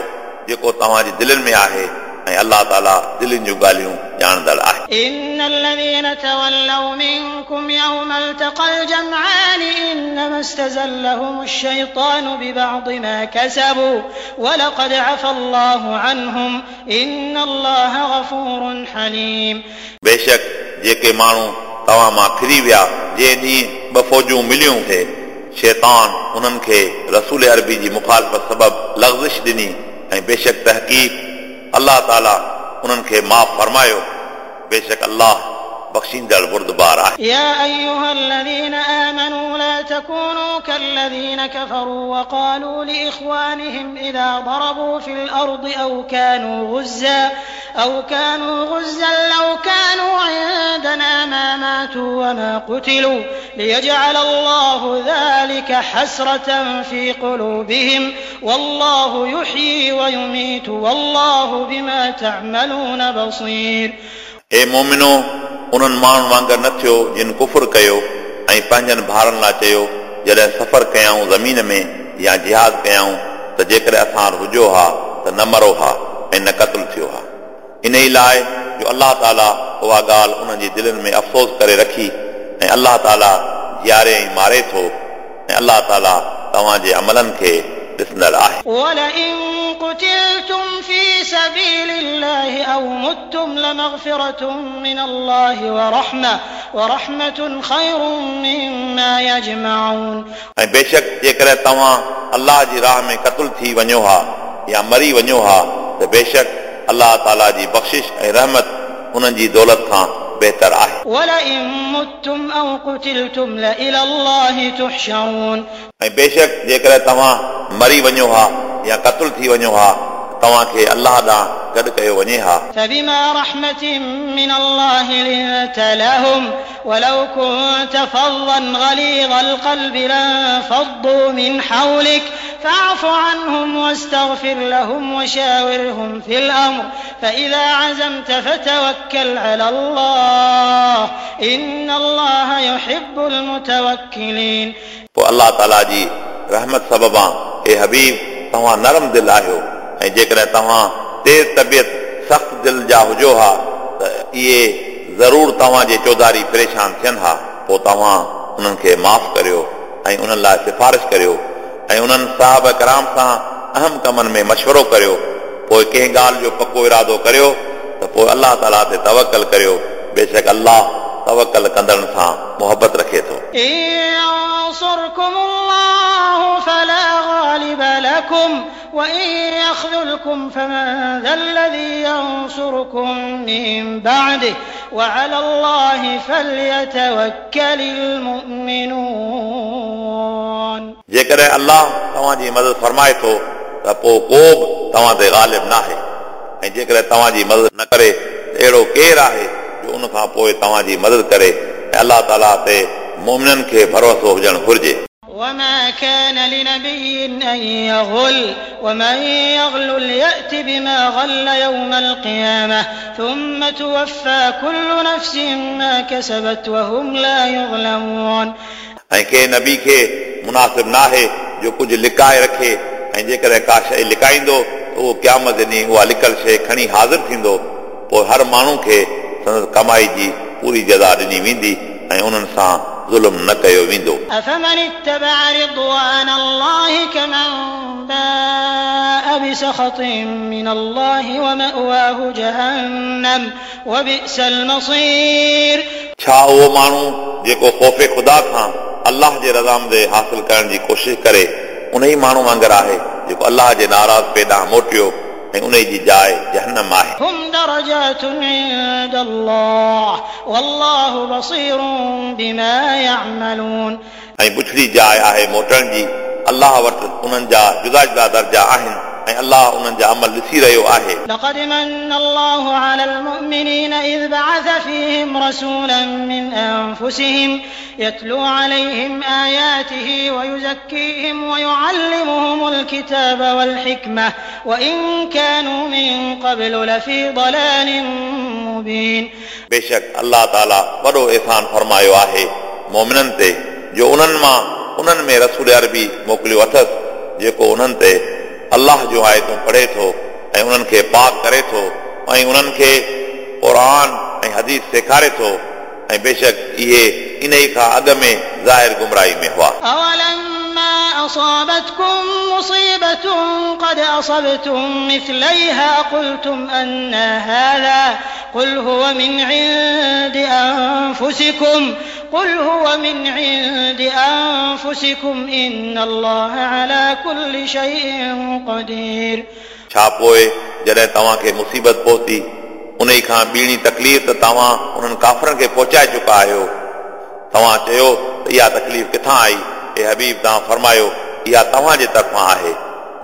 जेको तव्हांजी दिलनि में आहे, ऐं अलाह ताला दिलनि जूं ॻाल्हियूं ॼाणंदड़ आहे। إن الذين تولوا منكم يوم التقى الجمعان إنما استزلهم الشيطان ببعض ما كسبوا ولقد عفا الله عنهم إن الله غفور حليم। बेशक जेके माण्हू तव्हां मां फिरी विया, जंहिं ॾींहुं ॿ फौजूं मिलियूं थे, शैतान उन्हनि खे रसूल अरबी जी मुखालफ़त सबबु लग़ज़िश ॾिनी ऐं बेशक तहक़ीक़ अलाह ताला उन्हनि खे माफ़ फरमायो। बेशक अलाह बख़्शींदड़ बुर्दबार आहे। يا أيها الذين آمنوا لا تكونوا كالذين كفروا وقالوا لإخوانهم إذا ضربوا في الأرض أو كانوا غزا أو كانوا غزا لو كانوا عندنا ما ماتوا وما قتلوا ليجعل الله ذلك حسرة في قلوبهم والله يحيي ويميت والله بما تعملون بصير। ए मोमिनो, उन्हनि माण्हुनि वांगुरु न थियो जिन कुफुर कयो ऐं पंहिंजनि भाइरनि लाइ चयो जॾहिं सफ़र कयाऊं ज़मीन में या जिहाद कयाऊं त जेकॾहिं असां वटि हुजो हा त न मरो हा ऐं न क़तलु थियो हा। इन ई लाइ जो अलाह ताला उहा ॻाल्हि उन्हनि जी दिलनि में अफ़सोस करे रखी ऐं अलाह ताला जीआरे ऐं मारे थो ऐं अलाह ताला तव्हांजे अमलनि खे ॾिसंदड़ आहे। ولئن قتلتم في سبيل الله أو متم لمغفرة من الله ورحمة ورحمة خير مما يجمعون। ऐं बेशक जेकॾहिं तव्हां अलाह जी राह में क़तल थी वञो हा या मरी वञो हा त बेशक अलाह ताला जी बख़्शिश ऐं रहमत उन्हनि जी दौलत खां बहितर आहे। ولئن متم أو قتلتم لإلى الله تحشرون। ऐं बेशक जेकॾहिं तव्हां मरी वञो हा या क़तल थी वञो हा तव्हांखे अलाह ॾांहुं गॾु कयो वञे हा। فبما رحمة من الله لنت لهم ولو كنت فظا غليظ القلب لانفضوا من حولك فاعف عنهم واستغفر لهم وشاورهم في الأمر فإذا عزمت فتوكل على الله إن الله يحب المتوكلين। पोइ अलाह ताला जी रहमत सबबां ए हबीब तव्हां नरम दिल आहियो ऐं जेकॾहिं तव्हां तेज़ तबियत सख़्त दिल जा हुजो हा त इहे ज़रूरु तव्हांजे चौधारी परेशान थियनि हा। पोइ तव्हां उन्हनि खे माफ़ करियो ऐं उन्हनि लाइ सिफारिश करियो ऐं उन्हनि साहब कराम सां अहम कमनि में मशवरो करियो। पोइ कंहिं ॻाल्हि जो पको इरादो करियो त पोइ अलाह ताला ते तवकल करियो। बेशक अलाह तवकल कंदड़नि सां मुहबत रखे थो। ينصركم الله فلا غالب لكم وإن يخذلكم فمن ذا الذي ينصركم من بعده وعلى الله فليتوكل المؤمنون। जेकॾहिं अलाह तव्हांजी मदद फरमाए थो त पोइ को बि तव्हां ते ग़ालिब नाहे ऐं जेकॾहिं तव्हांजी मदद न करे त अहिड़ो केरु आहे जो उन खां पोइ तव्हांजी मदद करे। ऐं अलाह ताला ते मोमिननि खे भरोसो हुजणु घुरिजे। وما كان لنبي أن يغل ومن يغلل يأت بما غل يوم القيامة ثم توفى كل نفس ما كسبت وهم لا يظلمون। ऐं कंहिं नबी खे मुनासिब नाहे जो कुझु लिकाए रखे ऐं जेकॾहिं का शइ लिकाईंदो त उहो क़यामत ॾींहुं उहा लिकल शइ खणी हाज़िर थींदो। पोइ हर माण्हू खे संदसि कमाई जी पूरी जज़ा ॾिनी वेंदी ऐं उन्हनि सां ज़ुल्म न कयो वेंदो। أفمن اتبع رضوان الله كمن باء بسخط من الله ومأواه جهنم وبئس المصير। छा उहो माण्हू जेको ख़ौफ़ ख़ुदा खां अलाह जे रज़ामंदी हासिल करण जी कोशिश करे उन ई माण्हू वांगुरु आहे जेको अलाह जे नाराज़ ॾांहुं मोटियो ऐं उन जी जाइ जहन्नम आहे। هم درجات عند الله والله بصير بما يعملون। ऐं बुछड़ी जाइ आहे मोटण जी अलाह वटि उन्हनि जा जुदा जुदा दर्जा आहिनि ऐं अलाह उन्हनि जा अमल ॾिसी रहियो आहे। لقد من الله على المؤمنين إذ بعث فيهم رسولا من أنفسهم يتلو عليهم آياته ويزكيهم ويعلمهم الكتاب والحكمة وإن كانوا من قبل لفي ضلال مبين। बेशक अलाह ताला वॾो एहसान फरमायो आहे मोमिननि ते जो उन्हनि मां उन्हनि में रसूल अरबी मोकिलियो अथसि जेको उन्हनि ते अलाह जो आयतूं पढ़े थो ऐं उन्हनि खे पाक करे थो ऐं उन्हनि खे क़ुर ऐं हदीस सेखारे थो ऐं बेशक इहे इन ई खां अॻु में ज़ाहिर गुमराही में हुआ। أولما أصابتكم مصيبة قد أصبتم مثليها قلتم أنى هذا قل هو من عند أنفسكم قل هو من عند أنفسكم إن الله على كل شيء قدير. छा पोइ जॾहिं तव्हांखे मुसीबत पहुती उन खां ॿीणी तकलीफ़ त तव्हां उन्हनि काफ़रनि खे पहुचाए चुका आहियो। तव्हां चयो त इहा तकलीफ़ किथां आई? ए हबीब, तव्हां फरमायो इहा तव्हांजे तरफ़ां आहे,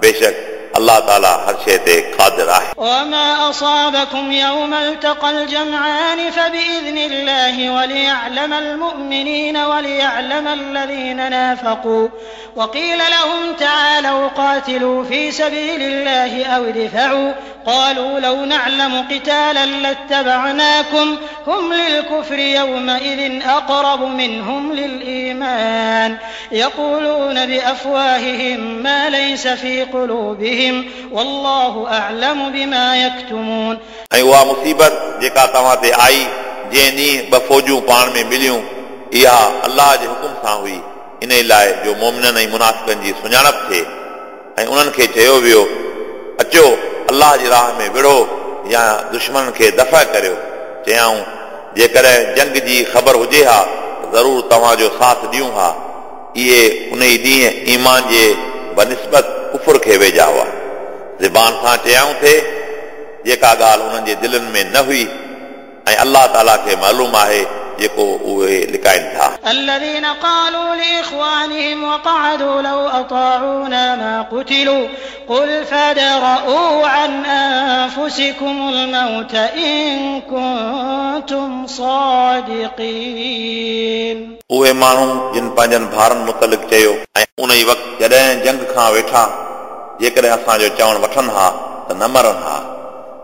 बेशक अल्लाह ताला हर शइ ते क़ादिर आहे। وما أصابكم يوم التقى الجمعان فبإذن الله وليعلم المؤمنين وليعلم الذين نافقوا وقيل لهم تعالوا قاتلوا في سبيل الله أو ادفعوا قالوا لو نعلم قتالا لاتبعناكم هم للكفر يومئذ أقرب منهم للإيمان يقولون بأفواههم ما ليس في قلوبهم والله أعلم بما يكتمون. ऐं उहा मुसीबत जेका तव्हां ते आई जंहिं ॾींहुं ॿ फ़ौजूं पाण में मिलियूं, इहा अल्लाह जे हुकुम सां हुई, इन लाइ जो मोमिननि ऐं मुनाफ़िकनि जी सुञाणप थिए। ऐं उन्हनि खे चयो वियो, अचो अल्लाह जी राह में विढ़ो या दुश्मन खे दफ़ा करियो। चयाऊं, जेकॾहिं जंग जी ख़बर हुजे हा ज़रूरु तव्हांजो साथ ॾियूं हा। इहे उन ई ॾींहुं ईमान जे बनिस्बत कुफुर खे वेझा हुआ। ज़बान सां चयाऊं थे जेका ॻाल्हि उन्हनि जे दिलनि में न हुई, ऐं अल्लाह ताला खे मालूम आहे जेको उहे लिकाइनि था। الذين قالوا لإخوانهم وقعدوا لو أطاعونا ما قتلوا قل فادرءوا عن أنفسكم الموت إن كنتم صادقين. उहे माण्हू जिन पंहिंजनि भाउरनि मुतलिक़ चयो, ऐं उन ई वक़्तु जॾहिं जंग खां वेठा, जेकॾहिं असांजो चवणु वठनि हा त न मरनि हा।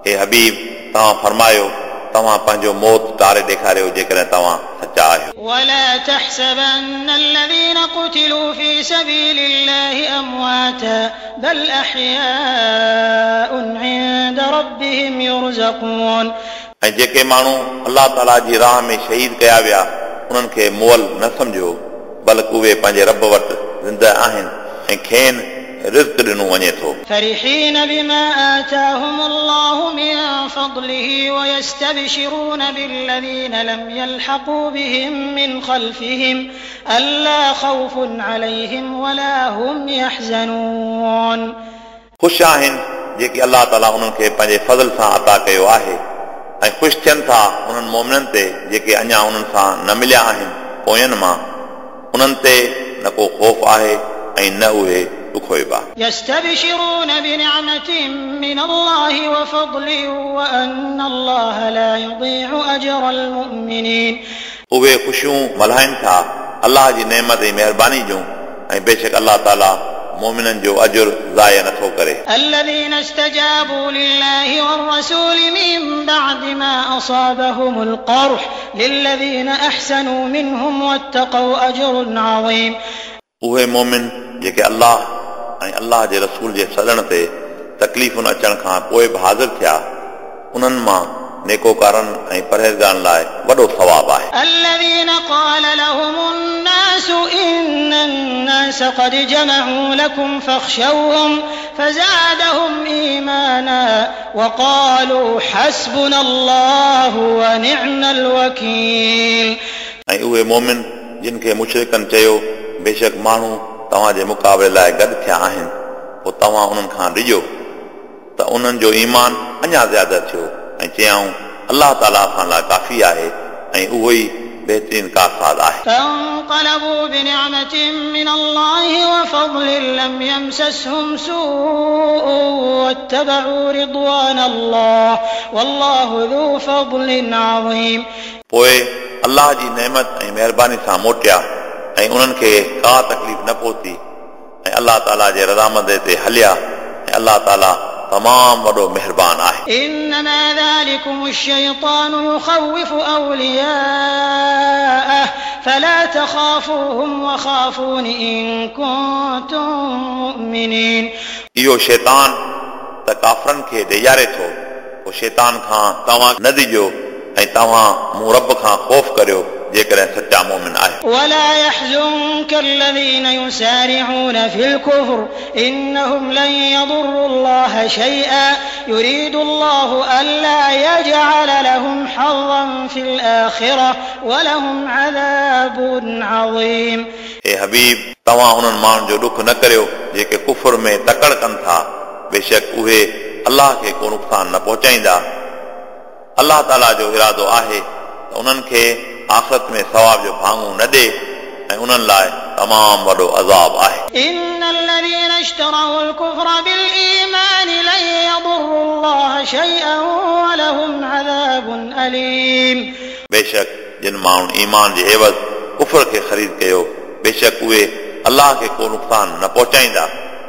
हे हबीब, तव्हां फरमायो, तव्हां पंहिंजो मौत टारे ॾेखारियो जेकॾहिं तव्हां सचा आहियो। ولا تحسبن الذين قتلوا في سبيل الله أمواتا بل أحياء عند ربهم يرزقون. ऐं जेके माण्हू अल्लाह ताला जी राह में शहीद कया विया उन्हनि खे मुअल न सम्झो, बल्कि उहे पंहिंजे रब वटि ज़िंदा आहिनि ऐं खेनि रिज़्क ॾिनो वञे थो। فرحين بما آتاهم الله من فضله ويستبشرون بالذين لم يلحقوا بهم من خلفهم ألا خوف عليهم ولا هم يحزنون. ख़ुशि आहिनि जेके अल्लाह ताला उन्हनि खे पंहिंजे फज़ल सां अता कयो आहे, ऐं ख़ुशि थियनि था उन्हनि मोमिननि ते जेके अञा उन्हनि सां न मिलिया आहिनि पोयनि मां, उन्हनि ते न को ख़ौफ़ आहे ऐं न उहे ॾुखोइबा। يستبشرون بنعمة من الله وفضل وأن الله لا يضيع أجر المؤمنين. उहे ख़ुशियूं मल्हाइनि था अल्लाह जी नेमत ऐं महिरबानी जूं, ऐं बेशक अल्लाह ताला मोमिननि जो अजुर ज़ाया नथो करे। الذين استجابوا لله والرسول من بعد ما أصابهم القرح للذين أحسنوا منهم واتقوا أجر عظيم. उहे मोमिन जेके अल्लाह ऐं अल्लाह जे रसूल जे सॾण ते तकलीफ़ुनि अचण खां पोइ बि हाज़िर थिया, उन्हनि मां नेकोकारनि ऐं परहेज़गारनि लाइ वॾो सवाबु आहे। الذين قال لهم الناس إن الناس قد جمعوا لكم فاخشوهم فزادهم إيمانا وقالوا حسبنا الله ونعم الوكيل. ऐं उहे मोमिन जिन खे मुशरिकनि चयो, बेशक माण्हू तव्हांजे मुक़ाबले लाइ गॾु थिया आहिनि, पोइ तव्हां उन्हनि खां डिॼो, त उन्हनि जो ईमान अञा ज़्यादा थियो ऐं चयाऊं, अल्लाह ताला असां लाइ काफ़ी आहे ऐं उहो ई बहितरीन कारसाज़ आहे। فانقلبوا بنعمة من الله وفضل لم يمسسهم سوء واتبعوا رضوان الله والله ذو فضل عظيم. पोइ अल्लाह जी नेमत ऐं महिरबानी सां मोटिया ऐं उन्हनि खे का तकलीफ़ न पहुती, ऐं अल्लाह ताला जे रज़ामंदी ते हलिया, ऐं अल्लाह ताला तमामु वॾो महिरबान आहे। إنما ذلكم الشيطان يخوف أولياءه فلا تخافوهم وخافون إن كنتم مؤمنين. इहो शैतान त काफ़रनि खे ॾेजारे थो, पोइ शैतान खां तव्हां न डिॼो ऐं तव्हां मूं रब खां ख़ौफ़ करियो जेकॾहिं सच्चा मोमिन आहियो। ولا يحزنك الذين يسارعون في الكفر إنهم لن يضروا الله الله شيئا يريد الله ألا يجعل لهم حظا في الآخرة ولهم عذاب عظيم. ए हबीब, तव्हां उन्हनि माण्हुनि जो ॾुख न करियो जेके कुफर में तकड़ कनि था। बेशक उहे अलाह खे को नुक़सानु न पहुचाईंदा। अलाह ताला जो इरादो आहे त उन्हनि खे आख़िरत में सवाब जो भाङो न ॾे ऐं उन्हनि लाइ तमामु वॾो अज़ाब आहे। إن الذين اشتروا الكفر بالإيمان لن يضروا الله شيئا ولهم عذاب أليم. बेशक जिन माण्हुनि ईमान जे एवज़ कुफर खे ख़रीद कयो, बेशक उहे अलाह खे को नुक़सानु न पहुचाईंदा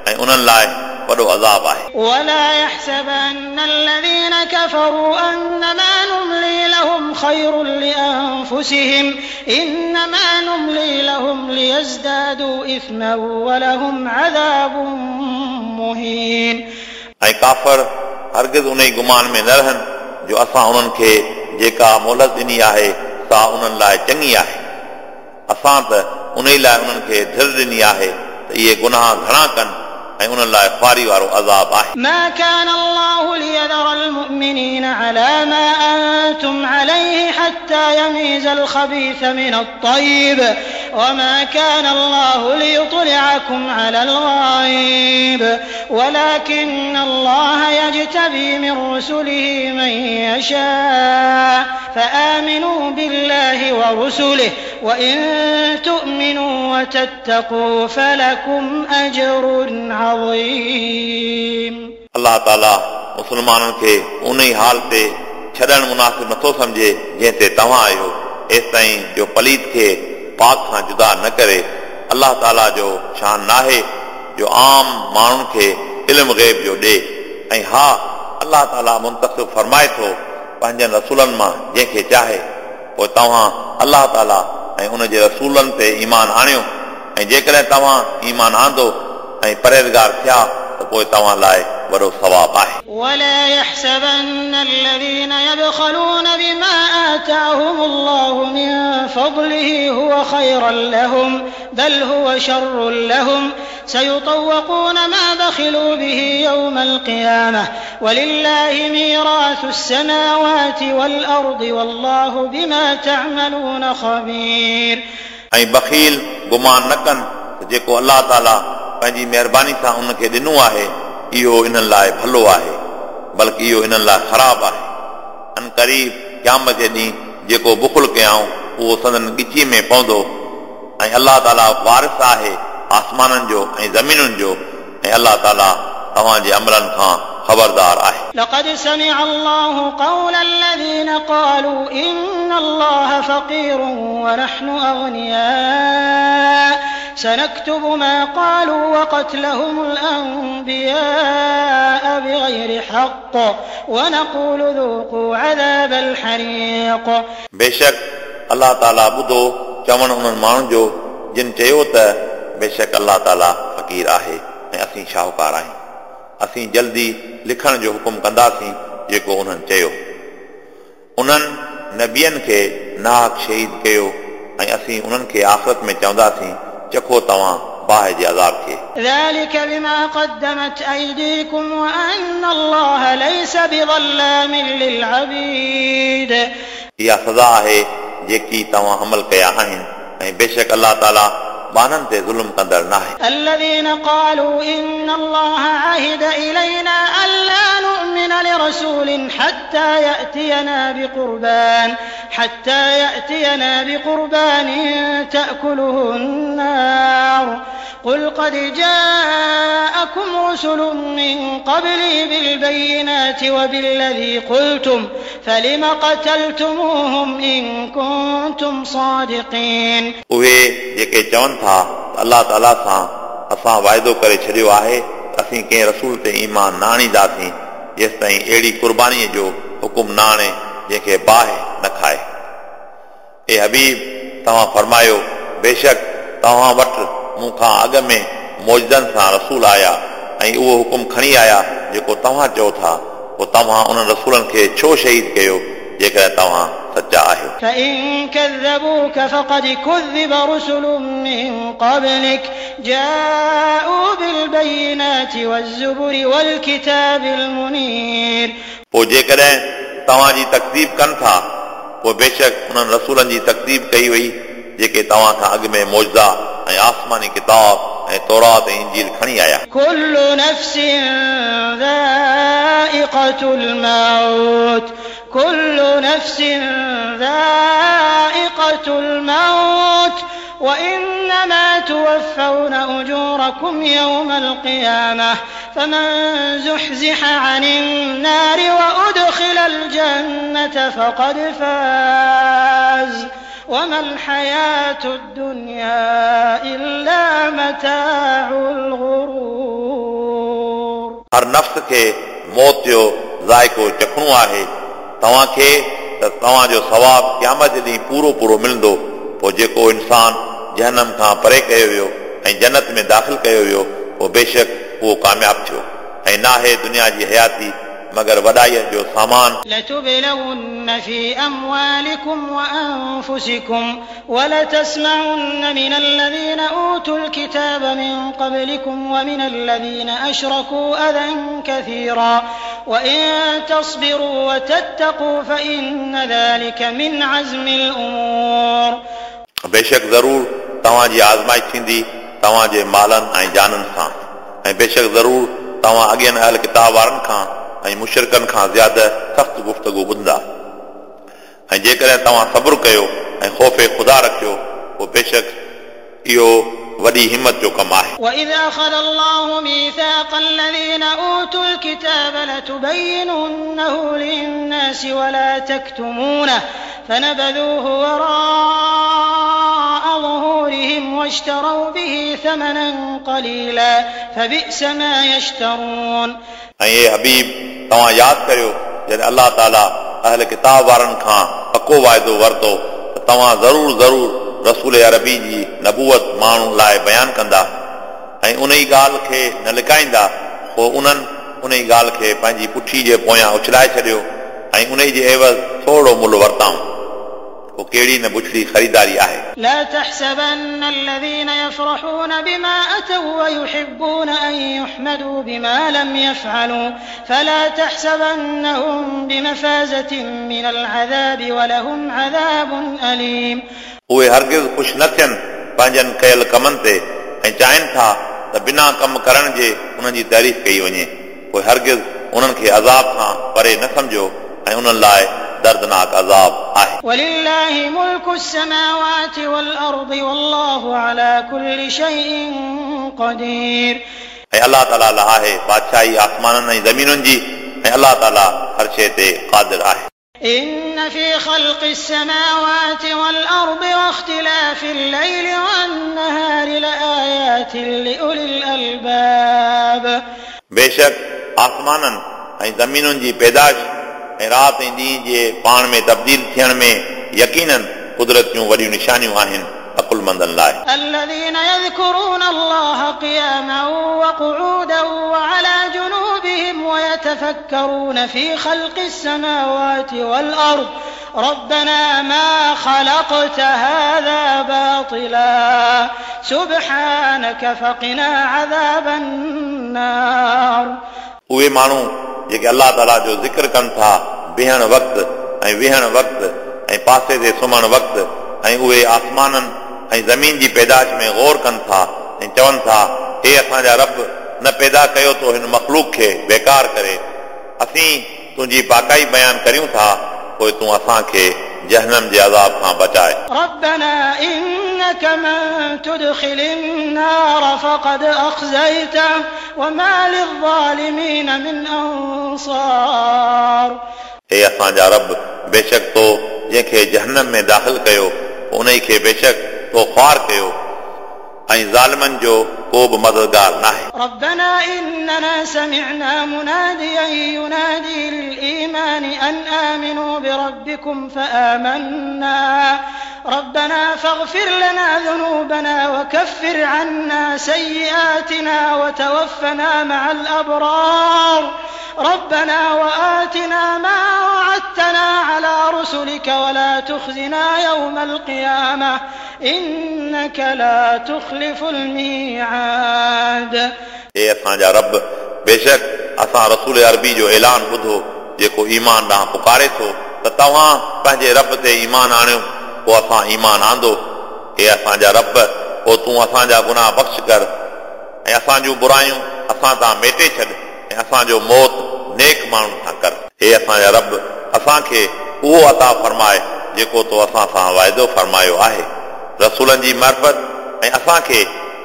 ऐं उन्हनि लाइ वॾो अज़ाब आहे। ولا يحسبن الذين كفروا أنما نملي لهم خير لأنفسهم إنما نملي لهم ليزدادوا إثما ولهم عذاب مهين. ऐं काफ़र हरगिज़ उन ई गुमान में न रहनि जो असां उन्हनि खे जेका मोहलत ॾिनी आहे सा उन्हनि लाइ चङी आहे। असां त उन ई लाइ उन्हनि खे ढिर ॾिनी आहे त इहे गुनाह घणा कनि ऐं उन्हनि लाइ ख़्वारी वारो अज़ाब आहे। ما كان الله ليذر المؤمنين على ما أنتم عليه حتى يميز الخبيث من الطيب وما كان الله ليطلعكم على الغيب ولكن الله يجتبي من رسله من يشاء فآمنوا بالله ورسله وإن تؤمنوا وتتقوا فلكم أجر عظيم. अलाह ताला मुसलमाननि खे उन ई हाल ते छॾणु मुनासिब नथो सम्झे जंहिं ते तव्हां आहियो, एसि ताईं जो पलीत खे पाक खां जुदा न करे। अलाह ताला जो शान नाहे जो आम माण्हुनि खे इल्म ग़ैब जो ॾे। ऐं हा, अलाह ताला मुंतख़िब फरमाए थो पंहिंजनि रसूलनि मां जंहिंखे चाहे। पोइ तव्हां अलाह ताला ऐं उन जे रसूलनि ते ईमान आणियो, ऐं जेकॾहिं तव्हां ईमान आंदो ऐं परहेज़गार थिया त पोइ तव्हां लाइ वॾो सवाब आहे। ولا يحسبن الذين يبخلون بما آتاهم الله من فضله هو خيرا لهم بل هو شر لهم سيطوقون ما بخلوا به يوم القيامة ولله ميراث السماوات والأرض والله بما تعملون خبير. ऐं बखील गुमान न कनि त जेको अलाह ताला पंहिंजी महिरबानी सां उनखे ॾिनो आहे इहो इन्हनि लाइ भलो आहे, बल्कि इहो इन्हनि लाइ ख़राबु आहे। अन क़रीब क़यामत जे ॾींहुं जेको बुखुल कयाऊं उहो संदन ॻिची में पवंदो। ऐं अलाह ताला वारिस आहे आसमाननि जो ऐं ज़मीनुनि जो, ऐं अलाह ताला तव्हांजे अमलनि खां ख़बरदार आहे। لقد سمع الله قول الذين قالوا إن الله فقير ونحن أغنياء سنكتب ما قالوا وقتلهم الأنبياء بغير حق ونقول ذوقوا عذاب الحريق. बेशक अलाह ताला ॿुधो चवणु उन्हनि माण्हुनि जो जिन चयो त बेशक अलाह ताला फ़क़ीर आहे ऐं असीं शाहूकार आहियूं। असीं जल्दी लिखण जो हुकुम कंदासीं जेको उन्हनि चयो। उन्हनि नबियनि खे नाहक़ शहीद कयो ऐं असीं उन्हनि खे आख़िरत में चवंदासीं चखो तव्हां बाहि जे अज़ाब खे। ذلك بما قدمت أيديكم وأن الله ليس بظلام للعبيد. इहा सज़ा आहे जेकी तव्हां अमल कया आहिनि, ऐं बेशक अलाह ताला ॿान्हनि ते ज़ुल्म कंदड़ नाहे। الذين قالوا إن الله عهد إلينا ألا نؤمن لرسول حتى يأتينا بقربان حتى يأتينا بقربان تأكله النار قل قد جاءكم رسل من قبلي بالبينات وبالذي قلتم فلم قتلتموهم إن كنتم صادقين. उहे जेके चवनि था त अलाह ताला सां असां वाइदो करे छॾियो आहे त असीं कंहिं रसूल ते ईमान न आणींदासीं जेसि ताईं अहिड़ी कुर्बानीअ जो हुकुम न आणे जंहिंखे बाहि न खाए। ए हबीब, तव्हां फरमायो, बेशक तव्हां वटि मूं खां अॻु में मौजदनि सां रसूल आया ऐं उहो हुकुम खणी आया जेको तव्हां चओ था, पोइ तव्हां उन्हनि रसूलनि खे छो शहीद कयो जेकॾहिं तव्हां सच्चा आहियो। فإن كذبوك فقد كذب رسل من قبلك جاءوا بالبينات والزبر والكتاب المنير। पोइ जेकॾहिं तव्हांजी तकदीब कनि था पोइ बेशक उन्हनि रसूलनि जी तकदीब कई वई जेके तव्हां खां अॻु में मौजज़ा ऐं आसमानी किताब ऐं तौरात ऐं इंजील खणी आया। كل نفس ذائقة الموت كل نفس ذائقة الموت وإنما توفون أجوركم يوم القيامة فمن زحزح عن النار وأدخل الجنة فقد فاز وما الحياة الدنيا إلا متاع الغرور। हर नफ्स खे मौत जो ज़ाइक़ो चखणो आहे, तव्हांखे त तव्हांजो सवाब क़यामत जे ॾींहुं पूरो पूरो मिलंदो। पोइ जेको इंसान जहनम खां परे कयो वियो ऐं जन्नत में दाख़िल कयो वियो पोइ बेशक उहो कामयाब थियो। ऐं नाहे दुनिया जी हयाती मगर वॾाईअ जो सामान। لتبلون في أموالكم وأنفسكم ولتسمعن من الذين أوتوا الكتاب من قبلكم ومن الذين أشركوا أذى كثيرا وإن تصبروا وتتقوا فإن ذلك من عزم الأمور। बेशक ज़रूर तव्हांजी आज़माइश थींदी तव्हांजे मालनि ऐं जाननि सां, ऐं बेशक ज़रूर तव्हां अॻियनि अहल किताब वारनि खां ऐं मुशरिकनि खां ज़्यादा सख़्तु गुफ़्तगू ॿुधंदा। ऐं जेकॾहिं तव्हां सब्र कयो ऐं ख़ौफ़ ख़ुदा रखियो पोइ बेशक इहो वॾी हिमत जो कमु आहे। وإذ أخذ الله ميثاق الذين أوتوا الكتاب لتبيننه للناس ولا تكتمونه فنبذوه وراء ظهورهم واشتروا به ثمنا قليلا فبئس ما يشترون। ऐं हे हबीब तव्हां यादि करियो जॾहिं अलाह ताला अहल किताब वारनि खां पको वाइदो वरितो त तव्हां ज़रूर ज़रूर रसूल अरबी जी नबूअत माण्हुनि लाइ बयानु कंदा ऐं उन ई ॻाल्हि खे न लिकाईंदा। पोइ उन्हनि उन ई ॻाल्हि खे पंहिंजी पुठी जे पोयां उछलाए छॾियो ऐं उन जे एवज़ थोरो मुल्ह वरिताऊं। पोइ कहिड़ी न बुछड़ी ख़रीदारी आहे। لا تحسبن الذين يفرحون بما أتوا ويحبون أن يحمدوا بما لم يفعلوا فلا تحسبنهم بمفازة من العذاب ولهم عذاب أليم। उहे हरगिज़ ख़ुशि न थियनि पंहिंजनि कयल कमनि ते ऐं चाहिनि था त बिना कम करण जे उन्हनि जी तारीफ़ कई वञे। पोइ हरगिज़ उन्हनि खे अज़ाब खां परे न सम्झो ऐं उन्हनि लाइ दर्दनाक अज़ाब आहे। ولله ملك السماوات والأرض والله على كل شيء قدير। ऐं अलाह ताला लाइ आहे बादशाही आसमाननि ऐं ज़मीनुनि जी ऐं अलाह ताला हर शइ ते क़ादिर आहे। إن في خلق السماوات والأرض واختلاف الليل والنهار لآيات لأولي الألباب। बेशक आसमाननि ऐं ज़मीनुनि जी पैदाइश ऐं राति ऐं ॾींहं जे पाण में तब्दील थियण में यकीनन कुदरत जूं वॾियूं निशानियूं आहिनि अक़ुलमंदनि लाइ। الذين يذكرون الله قياما وقعودا وعلى جنوبهم ويتفكرون في خلق السماوات والأرض ربنا ما خلقت هذا باطلا سبحانك فقنا عذاب النار। उहे माण्हू जेके अलाह ताला जो ज़िक्र कनि था बीहण वक़्तु ऐं वेहण वक़्तु ऐं पासे ते सुम्हण वक़्तु ऐं उहे आसमाननि ऐं ज़मीन जी पैदाइश में गौर कनि था ऐं चवनि था हे असांजा रब न पैदा कयो तो हिन मख़लूक खे बेकार करे, असीं तुंहिंजी पाकाई बयानु करियूं था, पोइ तूं असांखे जहनम जे अज़ाब खां बचाए। ربنا إنك من تدخل النار فقد أخزيته وما للظالمين من أنصار। हे असांजा रब बेशक तो जंहिंखे जहनम में दाख़िल कयो उन खे बेशक तो ख़्वार कयो ऐं ज़ालिमनि जो को बि मददगार नाहे। ربنا إننا سمعنا مناديا ينادي للإيمان أن آمنوا بربكم فآمنا ربنا فاغفر لنا ذنوبنا وكفر عنا سيئاتنا وتوفنا مع الأبرار ربنا وآتنا ما وعدتنا على رسلك ولا تخزنا يوم القيامة إنك لا تخلف الميعاد. हे असांजा रब, बेशक असां रसूल अरबी जो ऐलान ॿुधो जेको ईमान ॾांहुं पुकारे थो त तव्हां पंहिंजे रब ते ईमान आणियो, पोइ असां ईमान आंदो। हे असांजा रब, पोइ तूं असांजा गुनाह बख़्श कर ऐं असांजूं बुरायूं असां तां मेटे छॾ ऐं असांजो मौत नेक माण्हुनि सां कर। हे असांजा रब, असांखे उहो अता फरमाए जेको तो असां सां वाइदो फरमायो आहे रसूलनि जी मार्फ़त, ऐं असांखे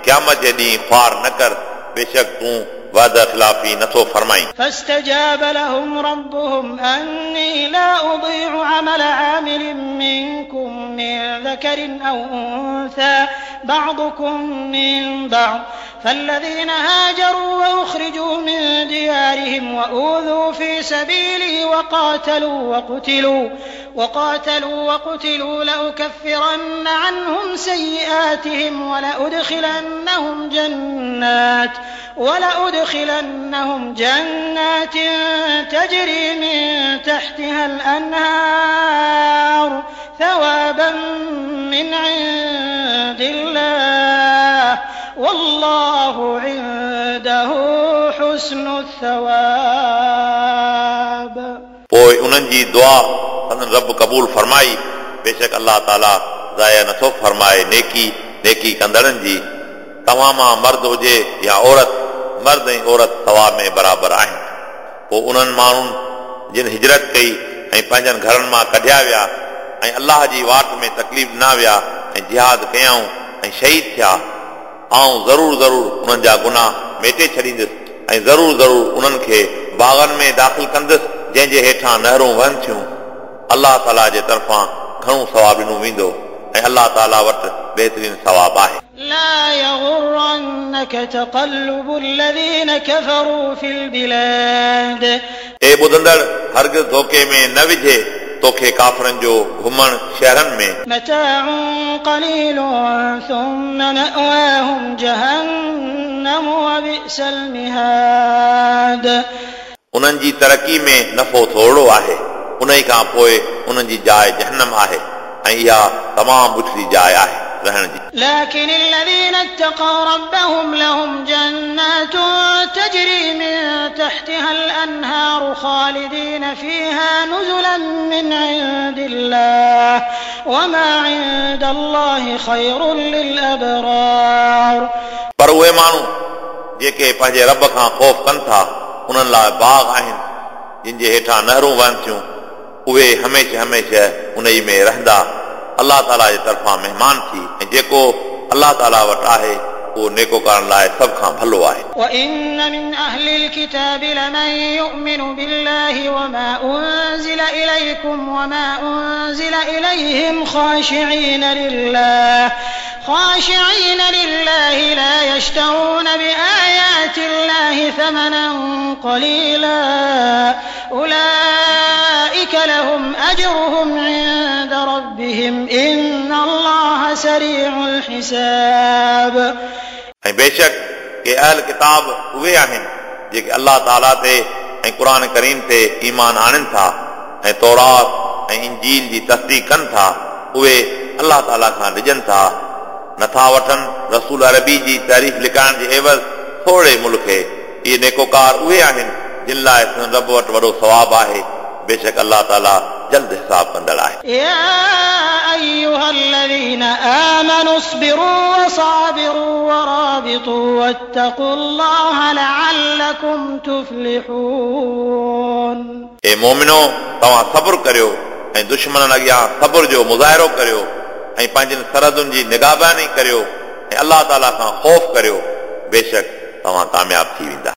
क़यामत जे ॾींहुं ख़्वार न कर, बेशक तूं वादा ख़िलाफ़ी नथो फरमाई। فاستجاب لهم ربهم أني لا أضيع عمل عامل منكم من ذكر أو أنثى بعضكم من بعض فالذين هاجروا وأخرجوا من ديارهم وأوذوا في سبيلي وقاتلوا وقتلوا وقاتلوا وقتلوا لأكفرن عنهم سيئاتهم ولأدخلنهم جنات ولأدخلنهم جنات تجري من تحتها الأنهار ثوابا من عند الله والله عنده حسن الثواب. पोइ उन्हनि जी दुआ संदन रब क़बूल फरमाई। बेशक अलाह ताला ज़ाया नथो फरमाए नेकी नेकी कंदड़नि जी। तव्हां मां मर्द हुजे या औरत, मर्द ऐं औरत सवाब में बराबरि आहिनि। पोइ उन्हनि माण्हुनि जिन हिजरत कई ऐं पंहिंजनि घरनि मां कढिया विया ऐं अलाह जी वाट में तकलीफ़ ॾिना विया ऐं जिहाद कयाऊं ऐं शहीद थिया, आउं ज़रूरु ज़रूरु उन्हनि जा गुनाह मेटे छॾींदुसि ऐं ज़रूरु ज़रूरु उन्हनि खे बाग़नि में दाख़िल कंदुसि जंहिंजे हेठां नहरूं वहनि थियूं। अलाह ताला जे तरफ़ां घणो सवाब ॾिनो वेंदो ऐं अलाह ताला वटि बहितरीन सवाब आहे। لا يغرنك تقلب الذين كفروا في البلاد. ए ॿुधंदड़, हरगिज़ धोखे में न विझे तोखे काफ़रनि जो घुमण शहरनि में। متاع قليل ثم مأواهم جهنم وبئس المهاد. उन्हनि जी तरक़ी में नफ़ो थोरो आहे, उन खां पोइ उन्हनि जी जाइ जहन्नम आहे ऐं इहा तमामु बुछड़ी जाइ आहे रहण जी। لكن الذين اتقوا ربهم لهم جنات تجري من تحتها الأنهار خالدين فيها نزلا من عند الله وما عند الله خير للأبرار. पर उहे माण्हू जेके पंहिंजे रब खां ख़ौफ़ कनि था उन्हनि लाइ बाग़ आहिनि जिन जे हेठां नहरूं वहनि थियूं, उहे हमेशह हमेशह उन ई में रहंदा। अलाह ताला जे तरफ़ां महिमान थी ऐं जेको अलाह ताला वटि आहे उहो नेकोकारनि लाइ सभ खां भलो आहे। وإن من أهل الكتاب لمن يؤمن بالله وما أنزل إليكم وما أنزل إليهم خاشعين لله خاشعين لله لا يشترون بآيات الله ثمنا قليلا أولئك لهم أجرهم عند ربهم إن الله سريع الحساب. ऐं बेशक के अहल किताब उहे आहिनि जेके अलाह ताला ते ऐं क़ुर करीम ते ईमान आणनि था ऐं तौरात ऐं इंजील जी तस्दीक कनि था, उहे अलाह ताला खां डिॼनि था। नथा वठनि रसूल अरबी जी तारीफ़ लिखाइण जे एवज़ थोरे मुल्क खे। इहे नेकोकार उहे आहिनि जिन लाइ रब वटि वॾो सवाब आहे। बेशक अलाह ताला जल्द हिसाब कंदड़ आहे। يا أيها الذين آمنوا اصبروا وصابروا ورابطوا واتقوا الله لعلكم تفلحون. ए मोमिनो, तव्हां सब्र करियो ऐं दुश्मननि अॻियां सब्र जो मुज़ाहिरो करियो ऐं पंहिंजनि सरहदुनि जी निगाहबानी करियो ऐं अलाह ताला खां ख़ौफ़ करियो, बेशक तव्हां कामयाब थी वेंदा।